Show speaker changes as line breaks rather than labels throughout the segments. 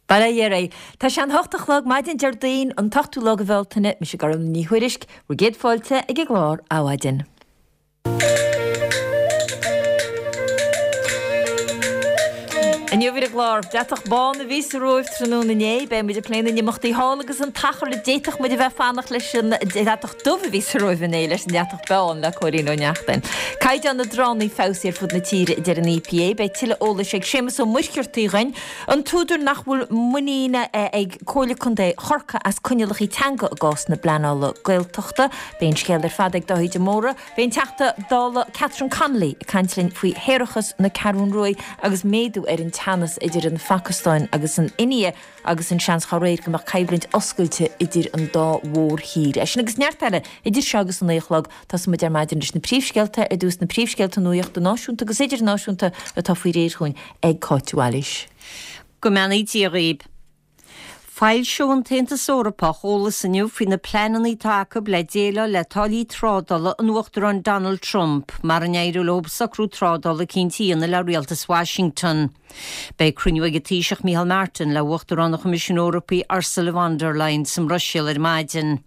Bail ó Dhia oraibh. Tá sé an hocht a chlog maidin Déardaoin an t-ochtú lá de Bhealtaine, mise Gormfhlaith Ní Thuairisg, bhur gcéad fáilte ag an gclár Adhmhaidin. Inniu ar an gclár, deatach bán a bhí sa Róimh tráthnóna inné, beidh muid ag plé na n-imeachtaí thall agus an t-achar a d'fhéadfadh muid a bheith ag fanacht leis an deatach dubh a bhí sa Róimh inné leis an deatach bán le Cóilín Ó Neachtain. Caighdeán na dtránna feabhsaithe ar fud na tíre a deir an EPA. Beidh tuilleadh eolais ag Séamus Ó Muircheartaigh dhuinn. An t-údar nach bhfuil muinín ag Comhairle Contae Chorcaí as coinníollacha teanga i gcás na bpleanála Gaeltachta. Beidh an scéal ar fad ag Dáithí de Mórdha. Beidh an Teachta Dála Catherine Connolly ag caint linn faoi shéarachas na Ceathrún Ruaidh agus méadú ar an teannas idir an Phacastáin agus an India agus an seans dá réir go mbeadh coimhlint oscailte idir an dá mhórthír. É sin agus neart eile idir seo agus an 9 a chlog. Tosóidh muid ar maidin leis na príomhscéalta, ar dtús na príomhscéalta nuachta náisiúnta agus idirnáisiúnta atá faoi réir dhúinn ag Cáit Wallis.
Go mbeannaí Dia dhaoib. Foilseoidh an tAontas Eorpach eolas inniu faoi na pleananna atá acu le déileáil le táillí trádála an Uachtaráin Donald Trump mara n-éireoidh leo socrú trádála eicínt a dhéanamh le rialtas Washington. Beidh cruinniú ag an Taoiseach Micheál Martin le Uachtarán an Choimisiúin Eorpaigh Ursula von der Leyen sa mBruiséil ar maidin.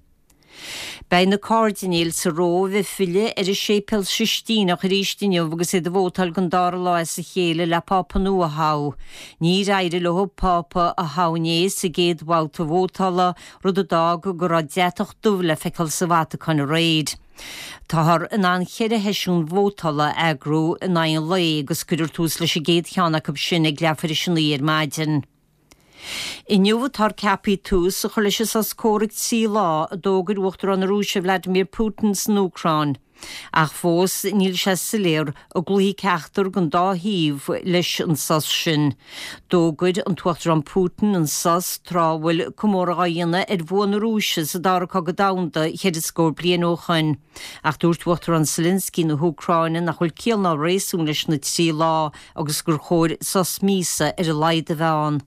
Beidh na cairdinéil sa Róimh ag filleadh ar an Séipéal Sistíneach arís inniu agus iad ag vótáil don dara lá as a chéile le Pápa nua a thoghadh. Níor éirigh leo Pápa a thoghadh inné sa gcéad bhabhta vótála, rud a d'fhág go raibh deatach dubh le feiceáil sa Vatacáin aréir. Táthar in ann cheithre sheisiún vótála a eagrú in aghaidh an lae agus cuirfear tús leis an gcéad cheann acu sin ag leathuair tar éis a 9 ar maidin. Inniu atáthar ceaptha tús a chur leis an sos comhraic 3 lá a d'fhógair Uachtarán na Rúise Vladimir Putin san Úcráin. Ach fós níl sé soiléir an gcloífidh ceachtar den dá thaobh leis an sos sin. D'fhógair an tUachtarán Putin an sos tráth a bhfuil comóradh á dhéanamh ar bhua na Rúise sa Dara Cogadh Domhanda cheithre scór bliain ó shoin. Ach dúirt Uachtarán Zelensky na hÚcráine nach bhfuil ciall ná réasún leis na 3 lá agus gur chóir sos míosa ar a laghad a bheith ann.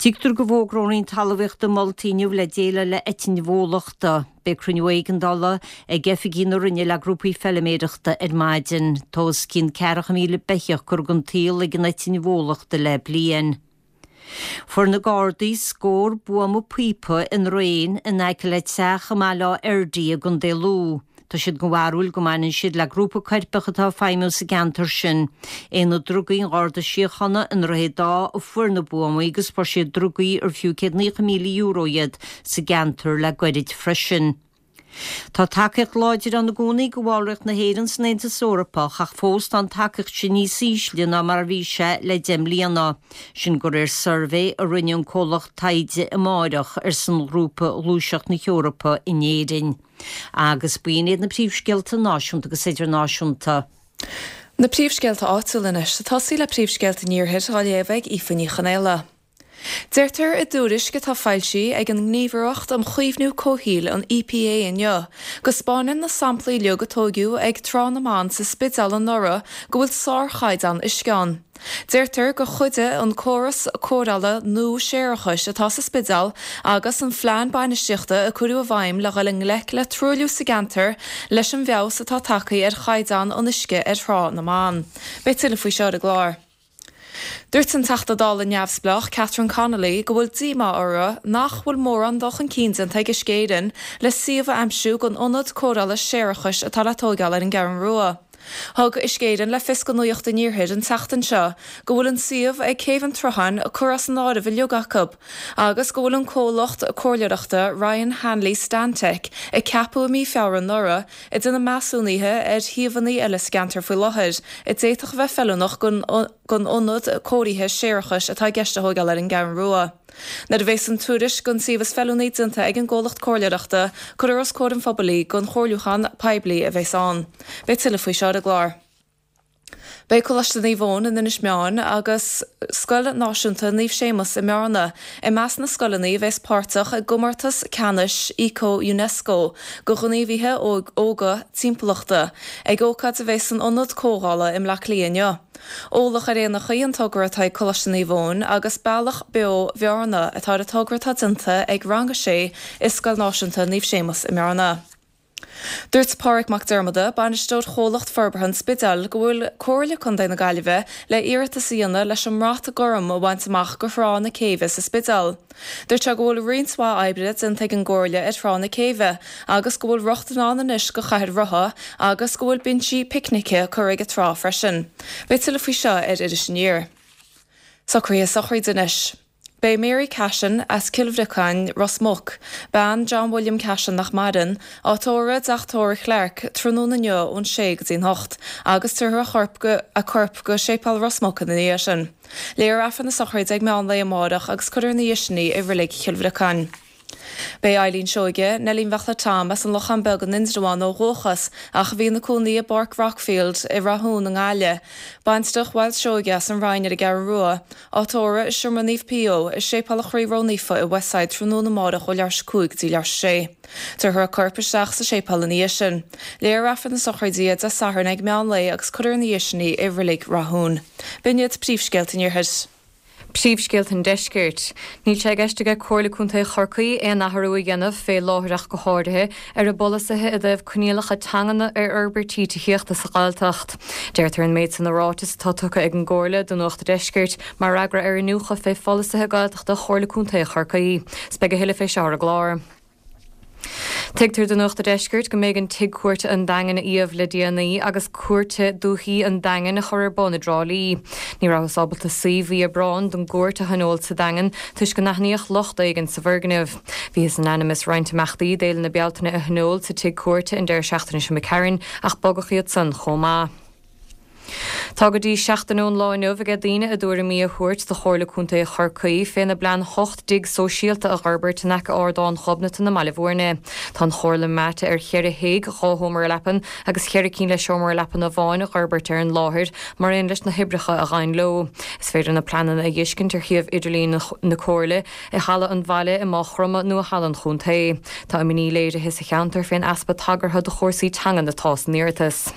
Tuigtear go bhfógróidh an Roinn Talmhaíochta moltaí inniu le déileáil le eitinn bhólachta. Beidh cruinniú éigeandála ag oifigigh na Roinne le grúpaí feiliméireachta ar maidin. Tá os cionn 40,000 beithíoch curtha den tsaol ag an eitinn bhólachta le bliain. Fuair na Gardaí scór buama píopa i ndraein in aice le teach i mBaile Átha Fheirdí i gContae Lú. Tá siad den bharúil go mbaineann siad le grúpa coirpeach atá ag feidhmiú sa gceantar sin. Aonad Drugaí an Gharda Síochána i nDroichead Átha a fuair na buamaí agus fuair siad drugaí ar fiú €190,000 iad sa gceantar le goirid freisin. Tá tacaíocht láidir ann i gcónaí do bhallraíocht na hÉireann san Aontas Eorpach ach fós tá an tacaíocht sin níos ísle ná mar a bhí sé le 10 mbliana. Sin de réir suirbhé a rinne an comhlacht taighde Amárach ar son ghrúpa Ghluaiseacht na hEorpa in Éirinn. Agus b'in iad na príomhscéalta náisiúnta agus idirnáisiúnta.
Na príomhscéalta áitiúla anois. Ag tosaí le príomhscéalta an Iarthair á léamh ag Aoife Ní Chonaola. Deirtear i dtuairisc atá foilsithe ag an nGníomhaireacht um Chaomhnú Comhshaoil, an EPA, inniu, go 'spáineann na samplaí uilig a tóigeadh ag Trá na mBan sa Spidéal anuraidh go bhfuil sárchaighdeán uisce ann. Deirtear gur chuidigh an córas cóireála nua séarachais atá sa Spidéal agus an phlean bainistíochta a cuireadh i bhfeidhm le dhul i ngleic le truailliú sa gceantar leis an bhfeabhas atá tagtha ar chaighdeán an uisce ar Thrá na mBan. Beidh tuilleadh faoi seo ar an gclár. Dúirt an Teachta Dála neamhspleách Catherine Connolly go bhfuil díomá uirthi nach bhfuil mórán dul chun cinn déanta ag Uisce Éireann le suíomh a aimsiú don ionad cóireála séarachais atá le tóigeáil ar an gCeathrú Rua. Thug Uisce Éireann le fios do Nuacht an Iarthair an tseachtain seo go bhfuil an suíomh ag Céibh an tSrutháin curtha as an áireamh uilig acu agus go bhfuil an comhlacht comhairleoireachta Ryan Hanley Stantec a ceapadh i mí Feabhra anuraidh ag déanamh measúnaithe ar shuíomhanna eile sa gceantar faoi láthair a d'fhéadfadh a bheith feiliúnach don ionad cóirithe séarachais atá i gceist a thóigeáil ar an gCeathrú Rua. Nuair a bheas an tuairisc don suíomh is feiliúnaí déanta ag an gcomhlacht comhairleoireachta, cuirfear os comhair an phobail í don chomhairliúchán poiblí a bheas ann. Beidh tuilleadh faoi seo ar an gclár. Beidh Coláiste Naomh Eoin in Inis Meáin agus Scoil Náisiúnta Naomh Séamus i mBearna i measc na scoileanna a bheas páirteach i gcomórtas ceannais Eco Unesco do ghníomhaithe óga timpeallachta ag ócáid a bheas san Ionad Comhdhála i mBleá Cliath inniu. Eolach ar Éanacha an togra atá ag Coláiste Naomh Eoin agus Bealach Beo Bhearna atá ar an togra atá déanta ag Rang 6 i Scoil Náisiúnta Naomh Séamus i mBearna. Dúirt Pádraig Mac Diarmada, Bainisteoir Chomhlacht Forbartha an Spidéil, go bhfuil Comhairle Contae na Gaillimhe le iarratas a dhéanamh leis an mBrat Gorm a bhaint amach go Thrá na Céibhe sa Spidéal. Dúirt sé go bhfuil roinnt mhaith oibre déanta ag an gComhairle ar Thrá na Céibhe agus go bhfuil rochtain ann anois go chathaoir rotha agus go bhfuil binsí picnice curtha ag an trá freisin. Beidh tuilleadh faoi seo ar Iris Aniar. Socruithe sochraide anois. Beidh Mary Cashin, as Cill Bhriocáin, Ros Muc, bean John William Cashin nach maireann, á tórramh i dTeach Tórraimh Chlarke tráthnóna inniu ón sé go dtí'n hocht agus tabharfar a chorp go a corp go Séipéal Ros Muc ina dhiaidh sin. Léifear Aifreann na sochraide ag meán lae amárach agus cuirfear ina dhiaidh sin í i Reilig Chill Bhriocáin. Beidh Eileen Seoige, Neilín Bheachla Tom, as an Lochán Beag in Indreabhán ó dhúchas ach a bhí ina cónaí i bPáirc Rockfield i Rathún i nGaillimh, baintreach Mhiles Seoige as an Rinn ar an gCeathrú Rua, á tórramh i Seomra Naomh Pio i Séipéal an Chroí Ró-Naofa i Westside tráthnóna amárach ó leathuair tar éis a 5 go dtí leathuair tar éis a sé. Tabharfar a corp isteach sa séipéal ina dhiaidh sin. Léifear Aifreann na sochraide Dé Sathairn ag meán lae agus cuirfear ina dhiaidh sin í i Reilig Rathún. B'in iad príomhscéalta an Iarthair.
Príomhscéalta an Deiscirt. Níl sé i gceist aige Comhairle Contae Chorcaí aon athrú a dhéanamh, fé láthair ach go háirithe, ar a bpolasaithe i dtaobh coinníollacha teangan ar fhorbairtí tithíochta sa Ghaeltacht. Deirtear an méid san i ráiteas atá tugtha ag an gComhairle do Nuacht a' Deiscirt mar fhreagra ar iniúchadh fé pholasaithe Gaeltachta Chomhairle Contae Chorcaí. 'S beidh a thuilleadh fé seo ar an gclár. Tuigtear do Nuacht a' Deiscirt go mb'éigean Tigh Cúirte an Daingin a iamh le déanaí agus Cúirt Dúichí an Daingin a chur ar bun i dTrá Lí. Ní rabhthas ábalta suí mhí Aibreáin don gcúirt a thionól sa Daingean toisc go n-aithníodh locht éigin sa bhfoirgneamh. Bhíothas in ainm is roinnt imeachtaí d'Fhéile na Bealtaine a thionól sa Tigh Cúirte an deireadh seachtaine seo imigh tharainn ach bogadh iad san chomh maith. Tá go dtí seachtain ón lá inniu aige daoine a dtuairimí a thabhairt do Chomhairle Contae Chorcaí féna bplean 8 dtigh sóisialta a dh'fhorbairt in aice Ardán Ghobnatan i mBaile Bhúirne. Tá an Chomhairle meáite ar cheithre thigh, 2 sheomra leapan agus cheithre cinn le seomra leapan amháin a dh'fhorbairt ar an láthair mar aon leis na hoibreacha a ghabhann leo. Is féidir na pleananna a dh'fheiscint ar shuíomh idirlín na Comhairle, i Halla an Bhaile i Maigh Chromtha nó i Halla an Chontae. Tá imní léirithe sa cheantar fén easpa tagartha do chúrsaí teangan atá san iarratas.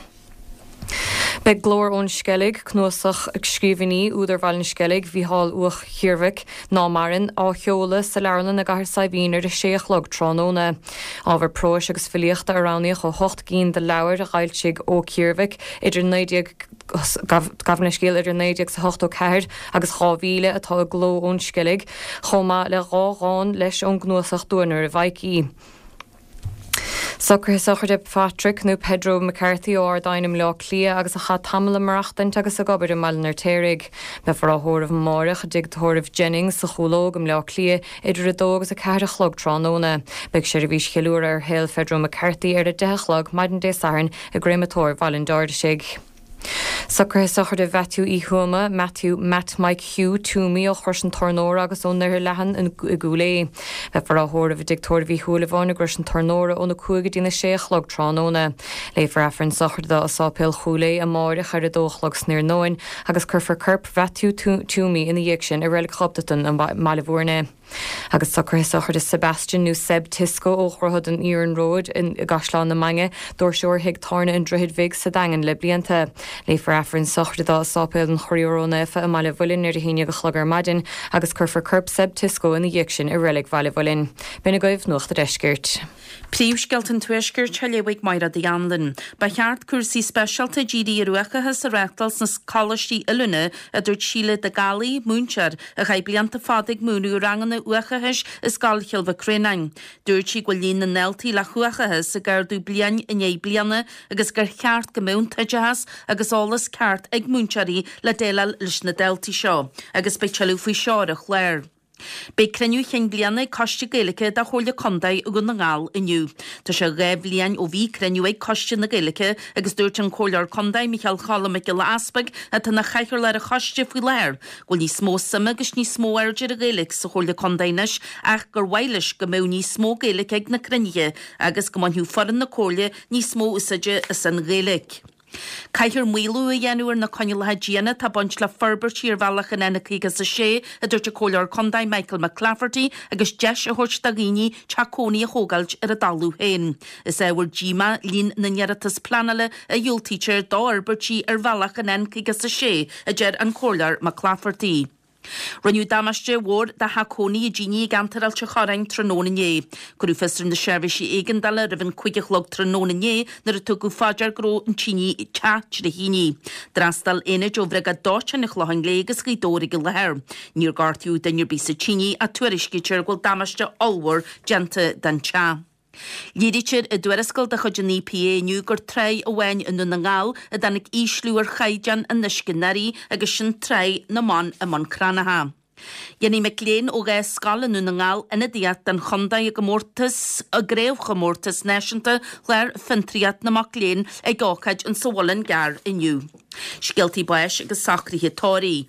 Beidh Glór ón Sceilg, cnuasach scríbhinní údar Bhaile an Sceilg, Mhícheál Ua Ciarmhaic, ná maireann, á sheoladh sa leabharlann i gCathair Saidhbhín ar a sé a chlog tráthnóna. Ábhar próis agus filíochta a roghnaíodh ó hocht gcinn de leabhair a d'fhoilsigh Ó Ciarmhaic idir 19, gabh mo leithscéal, idir 1984 agus 2000 atá i Glór ón Sceilg, chomh maith le dhá dhán leis ón gcnuasach Duanaire Mhaidhcí. Socruithe sochraide Phatrick nó Pedro McCarthy ó Ard Adhain i mBleá Cliath agus a chaith tamall ag maireachtaint agus ag obair i mBaile an Fheirtéaraigh. Beifear á thórramh amáireach i dtigh tórraimh Jennings sa Chúlóg i mBleá Cliath idir 2 agus 4 a chlog tráthnóna. Beidh seirbhís cheiliúradh ar shaol Phedro McCarthy ar 10 a chlog maidin Dé Sathairn i gCréamatóir Bhaile an Dáirsigh. Socruithe sochraide Mhaitiú Uí Thuama, Matthew Matt Mike Hugh Toomey ó Chrois an Tornóra agus ón nDoire Leathan i gCúil Aodha. Beifear á thórramh i dtigh tórraimh Uí Shúilleabháin i gCrois an Tornóra óna 5 go dtína 6 a chlog tráthnóna. Léifear Aifreann sochraide dó i Sáipéal Chúil Aodha amáireach ar 2 a chlog san iarnóin agus cuirfear corp Mhaitiú Toomey ina dhiaidh sin i Reilig Ghobnatan i mBaile Bhúirne. Agus socruithe sochraide Sebastian nó Seb Tisco ó Dhroichead an Iarnróid i gCaisleán na Mainge, doirseoir thigh tábhairne an Droichid Bhig sa Daingean le blianta. Léifear Aifreann sochraide dó i Sáipéal an Chroí Ró-Naofa i mBaile Mhuilinn ar a haon dhéag a chlog ar maidin agus cuirfear corp Seb Tisco ina dhiaidh sin i Reilig Bhaile Mhuilinn. B'in agaibh Nuacht a' Deiscirt.
Príomhscéalta an Tuaiscirt á léamh ag Mairéad Uí Anluain. Ba cheart cúrsaí speisialta dírithe ar uathachas a reáchtáil sna coláistí oiliúna, a dúirt Síle de Gallaí, múinteoir, a chaith blianta fada ag múineadh ranganna uathachais i Scoil Chill Mhic Réanáin. Dúirt sí go bhfuil líon na ndaltaí le huathachas ag ardú bliain i ndiaidh bliana agus gur cheart go mbeadh an t-oideachas agus eolas ceart ag múinteoirí le déileáil leis na daltaí seo. Agus beidh tuilleadh faoi seo ar an chlár. Beidh cruinniú chinn bliana ag Coiste Gaeilge de Chomhairle Contae Dhún na nGall inniu. Tá sé 2 bhliain ó bhí cruinniú ag Coiste na Gaeilge agus dúirt an Comhairleoir Contae Micheál Cholm Mac Giolla Easpaig, atá ina chathaoirleach ar an choiste faoi láthair, go bhfuil níos mó suime agus níos mó airde ar an Ghaeilge sa Chomhairle Contae anois ach gur mhaith leis go mbeadh níos mó Gaeilge ag na cruinnithe agus go mbainfeadh foireann na Comhairle níos mó úsáide as an Ghaeilge. Caithfear maolú a dhéanamh ar na coinníollacha diana atá ag baint le forbairtí ar bhealach an N56, a dúirt an Comhairleoir Contae Michael McClafferty, agus deis a thabhairt do dhaoine teach cónaí a thógáilt ar a dtalamh féin. Is ábhar díomá líon na n-iarratas pleanála a dhiúltaítear d'fhorbairtí ar bhealach an N56, a deir an Comhairleoir McClafferty. Rinneadh damáiste mhór do theach cónaí i dTíní i gceantar Ailt an Chorráin tráthnóna inné. Cuireadh fios ar na seirbhísí éigeandála roimh an 5 a chlog tráthnóna inné nuair a tugadh fá dear go raibh an tine teach trí thine. D'fhreastail aonaid ó Bhriogáid Dóiteáin an Chlocháin Léith agus Ghaoth Dobhair ag an láthair. Níor gortaíodh duine ar bith sa tine ach tuairiscítear go bhfuil damáiste ollmhór déanta don teach. Léirítear i dtuarascáil de chuid an EPA inniu gur tráigh amháin i nDún na nGall a dtáinig ísliú ar chaighdeán an uisce anuraidh agus sin Tráigh na mBan i mBun Cranncha. Dhéanfaidh mic léinn ó 2 scoil i nDún na nGall ionadaíocht don chontae i gcomórtas i gCraobhchomórtas Náisiúnta Chlár Fiontraíocht na Mac Léinn ag ócáid in sa Mhuileann gCearr inniu. Scéaltaí báis agus socruithe tórraimh.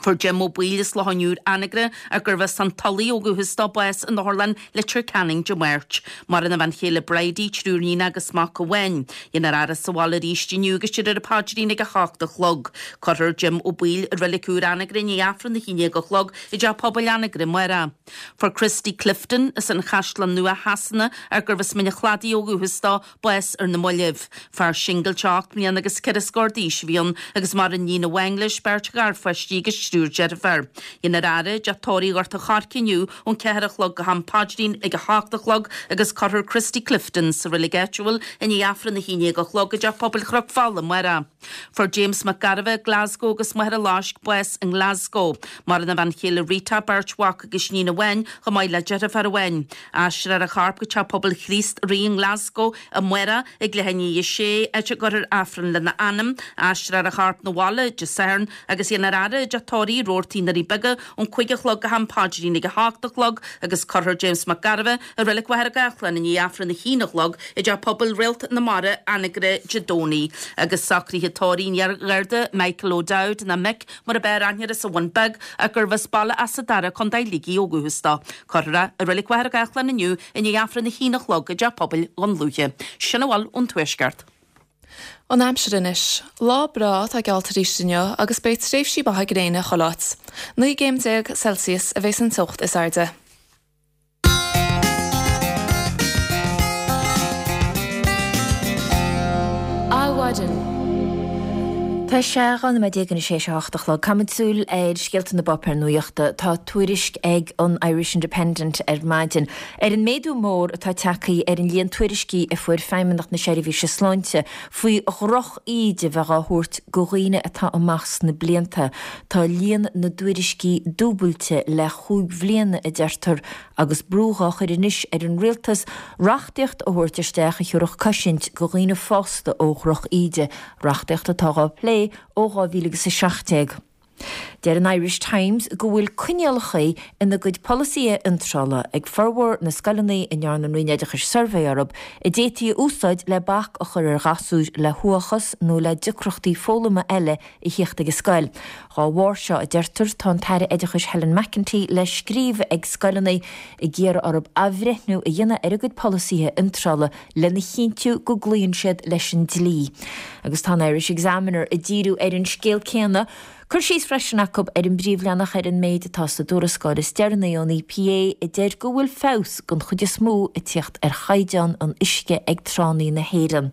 Fuair Jim Ó Baoill as Loch an Iúir, Anagaire, ach gurbh as an Tulaigh ó dhúchas dó, bás in Otharlann Leitir Ceanainn Dé Máirt. Maireann a bhean chéile Bridie, triúr níonacha agus mac amháin. Dhéanfar a fhaire sa bhaile arís inniu agus déarfar an paidrín ag 8 a chlog. Cuirfear Jim Ó Baoill i Reilig Úr Anagaire i ndiaidh Aifreann 11 a chlog i dTeach Pobail Anagaire amárach. Fuair Christy Clifton as an Chaisleán Nua Shasana ach gurbh as Mín an Chladaigh ó dhúchas dó, bás ar na mallaibh. Fear singilte 8 mbliana agus ceithre scór d'aois a bhí ann agus maireann iníon amháin leis, beirt gharpháistí agus triúr deirféar. Dhéanfar a fhaire i dTeach Tórraimh Ghort an Choirce inniu ón 4 a chlog go ham paidrín ag 8 a chlog agus cuirfear Christy Clifton sa reilig áitiúil i ndiaidh Aifreann 11 a chlog i dTeach Pobail Chnoc Fola amárach. Fuair James Mac Gairbheith, Glasgow agus Machaire Loisc bás i nGlasgow. Maireann a bhean chéile Rita, beirt mhac agus iníon amháin, chomh maith le deirfiúr amháin. Aistreofar a chorp go Teach Pobail Chríost Rí i nGlasgow amárach ag leath i ndiaidh a sé, áit a gcuirfear Aifreann lena anam. Aistreofar a chorp 'na bhaile Dé Sathairn agus dhéanfar a fhaire i dTeach Tórraimh Roarty i nDoirí Beaga ón 5 a chlog go ham paidrín ag 8 a chlog agus cuirfear James Mac Gairbheith i Reilig Mhachaire Gathlán i ndiaidh Aifreann a haon a chlog i dTeach Pobail Réalt na Mara, Anagaire, Dé Domhnaigh. Agus socruithe tórraimh an iar-Gharda Michael O'Dowd, nó Mick mar ab fhearr aithne air as an Bhun Beag ach gurbh as Baile Easa Dara, Co. Shligigh ó dhúchas dó. Cuirfear é i Reilig Mhachaire Gathlán inniu i ndiaidh Aifreann a haon a chlog i dTeach Pobail Dhún Lúiche. Sin a bhfuil ón Tuaisceart.
An aimsir anois. Lá breá atá geallta arís inniu agus beidh tréimhsí maithe gréine chuile áit. 19 gcéim Celsius a bheas an teocht is airde.
Adhmhaidin. Tá sé 12 nóiméad anois théis a hocht a chlog. Caithfimid súil ar scéalta na bpáipéar nuachta. Tá tuairisc ag an Irish Independent ar maidin ar an méadú mór atá tagtha ar an líon tuairiscí a fuair Feidhmeannacht na Seirbhíse Sláinte faoi dhroch-íde bheith á thabhairt go dhaoine atá amach sna blianta. Tá líon na dtuairiscí dúbailte le chúig bhliana, a deirtear, agus brú dhá chur anois ar an rialtas reachtaíocht a thabhairt isteach a thiúrfadh cosaint go dhaoine fásta ó dhroch-íde, reachtaíocht atá dhá plé ó 2017. Deir an Irish Times go bhfuil coinníollacha ina gcuid polasaithe iontrála ag formhór na scoileanna a ndearna an Roinn Oideachais suirbhé orthu a d'fhéadfaí a úsáid le bac a chur ar ghasúir le huathachas nó le deacrachtaí foghlama eile a thíocht ag an scoil. Dhá bharr seo, a deirtear, tá an tAire Oideachais Helen McEntee le scríobh ag scoileanna ag iarraidh orthu athbhreithniú a dhéanamh ar a gcuid polasaithe iontrála lena chinntiú go gcloíonn siad leis an dlí. Agus tá an Irish Examiner ag díriú ar an scéal céanna. Cur síos freisin acu ar an bpríomhleathanach ar an méid atá sa dtuarascáil is deireanaí ón EPA a deir go bhfuil feabhas den chuid is mó ag tíocht ar chaighdeán an uisce ag tránna na hÉireann.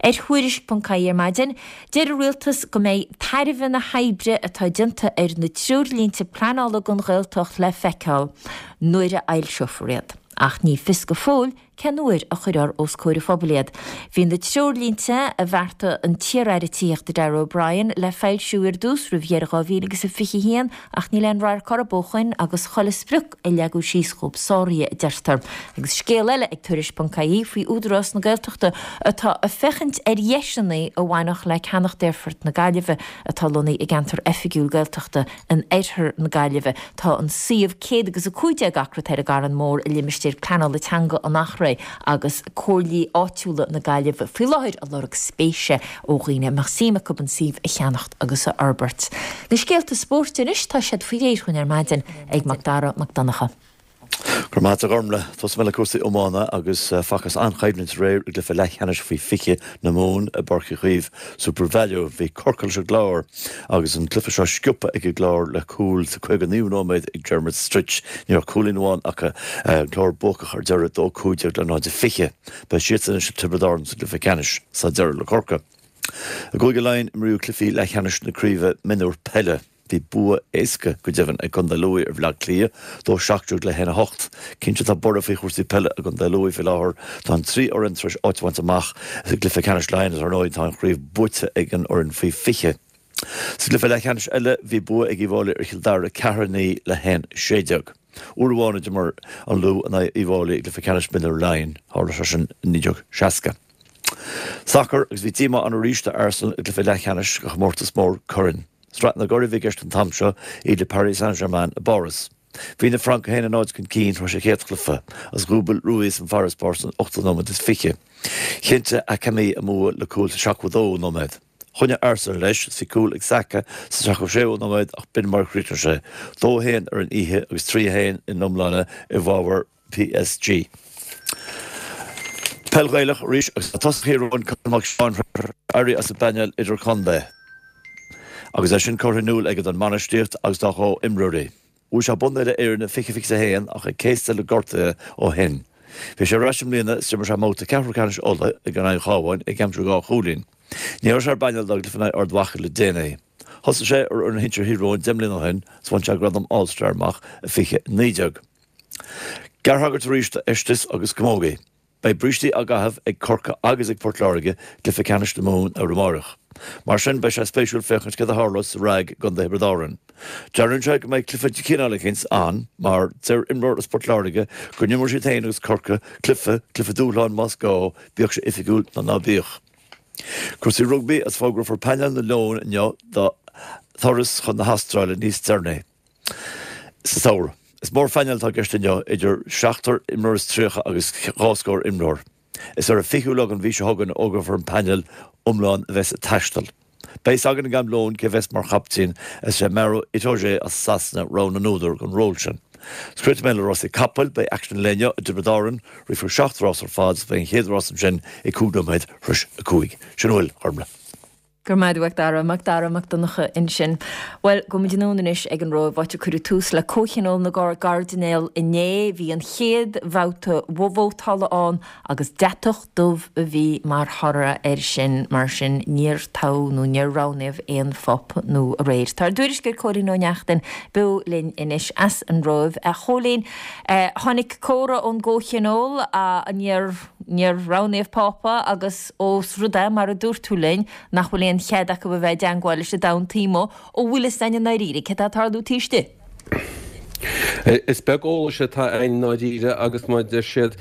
Ar Thuairisc.ie ar maidin, deir an Rialtas go mbeidh tairbhe na hoibre atá déanta ar na treoirlínte pleanála don Ghaeltacht le feiceáil nuair a fhoilseofar iad. Ach ní fios go fóill Cén uair a chuirfear os comhair an phobail iad? Bhí na treoirlínte, a bheartaigh an t-iar-aire tithíochta Darragh O'Brien, le foilsiú ar dtús roimh dheireadh 2021 ach níl aon radharc orthu ó shoin agus chuile sprioc a leagadh síos dhóibh sáraithe, a deirtear. Agus scéal eile ag Tuairisc.ie faoi Údarás na Gaeltachta atá ag féachaint ar dheiseanna a bhainfeadh le ceannacht Aerfort na Gaillimhe atá lonnaithe i gceantar oifigiúil Gaeltachta In oirthear na Gaillimhe, tá an suíomh 115 acra atá ar an gCarn Mór i limistéar pleanála teanga an Eachréidh agus comhairlí áitiúla na Gaillimhe faoi láthair ag lorg spéise ó dhaoine a mbeadh suim acu an suíomh a cheannacht agus a fhorbairt. Na scéalta spóirt anois, tá siad faoi réir dhúinn ar maidin ag Mac Dara Mac Donncha.
Go raibh maith agat a Ghormlaith. Tosóidh mé le cúrsaí iomána agus facthas an-choimhlint aréir i gcluiche leathcheannais faoi 20 na Mumhan i bPáirc Uí Chaoimh, Supervalu. Bhí Corcaigh leis an gClár agus an cluiche seo sciobtha ag an gClár le cúl sa 59ú nóiméad ag Dermot Stritch. Ní raibh cúilín amháin acu. An Clár buacach ar deireadh, 2-15 le 0-20. Beidh siadsan anois le Tiobraid Árann sa gcluiche ceannais sa deireadh le Corcaigh. I gCúige Laighean imríodh cluichí leathcheannais na craoibhe mionúr peile. Bhí bua éasca, go deimhin, ag Contae Lú ar Bhaile Átha Cliath, 2 17 le 1 8. Cinnte tá borradh faoi chúrsaí peile i gContae Lú faoi láthair. Tá an trí fhoireann tar éis áit a bhaint amach sa gcluiche ceannais Laighean agus ar ndóigh tá an chraobh buaite ag an fhoireann faoi 20. Sa gcluiche leathcheannais eile bhí bua ag Uíbh Fhailí ar Chill Dara, 4 9 le 1 16. Uair amháin a d'imir an Lú in aghaidh Uíbh Fhailí i gcluiche ceannais mionúir Laighean, tharla sé sin i 1960. Sacar, agus bhí díomá ann arís do Arsenal i gcluiche leathcheannais de chomórtas mór coirn. Sraith na gCuradh a bhí i gceist an t-am seo, iad le Paris Saint-Germain i bPáras. Bhí na Francaigh 1-0 chun cinn tar éis an chéad chluiche, agus dhúbail Ruiz an farasbarr san ochtú nóiméad is fiche. Chinntigh Hakimi a mbua le cúl sa 72ú nóiméad. Choinnigh Arsenal leis agus bhí cúl ag Saka sa 76ú nóiméad ach b'in mar a chríochnaigh sé, 2-1 ar an oíche agus 3-1 in iomláine i bhfabhar PSG. Peil Ghaelach arís agus tá tosaí Thír Eoghain Conall Mac Seáin tar éis éirí as an bpainéal idirchontae agus é sin curtha in iúl aige don mbainistíocht agus dá chomhimreoirí. Bhuaigh sé bonn uile Éireann i 2021 ach é céasta le gortuithe ó shin. Bhí sé ar ais i mbliana is d'imir sé i mbabhta ceathrú ceannais Uladh in aghaidh an Chabháin ag aimsiú 2 chúilín. Ní raibh sé ar an bpainéal dá gcluiche in aghaidh Ard Mhacha le déanaí. Thosaigh sé ar fhoireann shinsir Thír Eoghain 10 mbliana ó shin is bhain sé gradam All Star amach i 2019. Gearrthagairt arís do fheistis agus camógaí. Beidh brístí á gcaitheamh ag Corcaigh agus ag Port Láirge i gcluiche ceannais na Mumhan ar amárach. Mar sin, beidh sé spéisiúil féachaint céard a tharlós sa RnaG i gContae Thiobraid Árann. Dealraíonn sé go mbeidh cluiche de chineál eicínt ann mar deir imreoir as Port Láirge go n-imreoidh siad féin agus Corcaigh cluiche, cluiche dúshláin más gá, bíodh sé oifigiúil nó ná bíodh. Cúrsaí rugbaí agus fógrófar painéal na Leon inniu dá dturas chun na hAstráile níos deireanaí. Sa samhradh. Is mórphainéal atá i gceist inniu, idir seachtar imreoir is 30 agus dhá scór imreoir. Is ar an 20ú lá den mhí seo chugainn a fhógrófar an painéal iomlán a bheas ag taisteal. Beidh fhios againn ag am lóin cé bheas mar chaiptín is é Maro Itoje as Sasana rogha na n-údar don ról sin. Críochnóidh mé le rásaí capaill, beidh aicsean an lae inniu i dTiobraid Árann, rithfear seacht rás ar fad is beidh an chéad rás ansin ag cúig nóiméad tar éis a 5. Sin a bhfuil, a Ghormlaith.
Go raibh maith agat, a Mhac Dara, Mac Dara Mac Donncha ansin. Bhuel, gabhfaidh muid anonn anois ag an Róimh, áit a cuireadh tús le Comhthionól na gCairdinéal inné. Bhí an chéad bhabhta vótála ann agus deatach dubh a bhí mar thoradh air sin. Mar sin, níor toghadh nó níor roghnaíodh aon Phápa nua aréir. Tá ár dtuairisceoir Cóilín Ó Neachtain beo linn anois as an Róimh. A Chóilín, tháinig comhartha ón gComhthionól, níor, níor roghnaíodh Pápa agus, Ós rud é, mar a dúirt tú linn, nach bhfuil aon chead acu a bheith i dteangmháil leis an domhan taobh amuigh, an bhfuil fhios againn i ndáiríre céard atá ag tarlú taobh istigh?
Is beag eolais atá againn i ndáiríre agus mar a deir siad,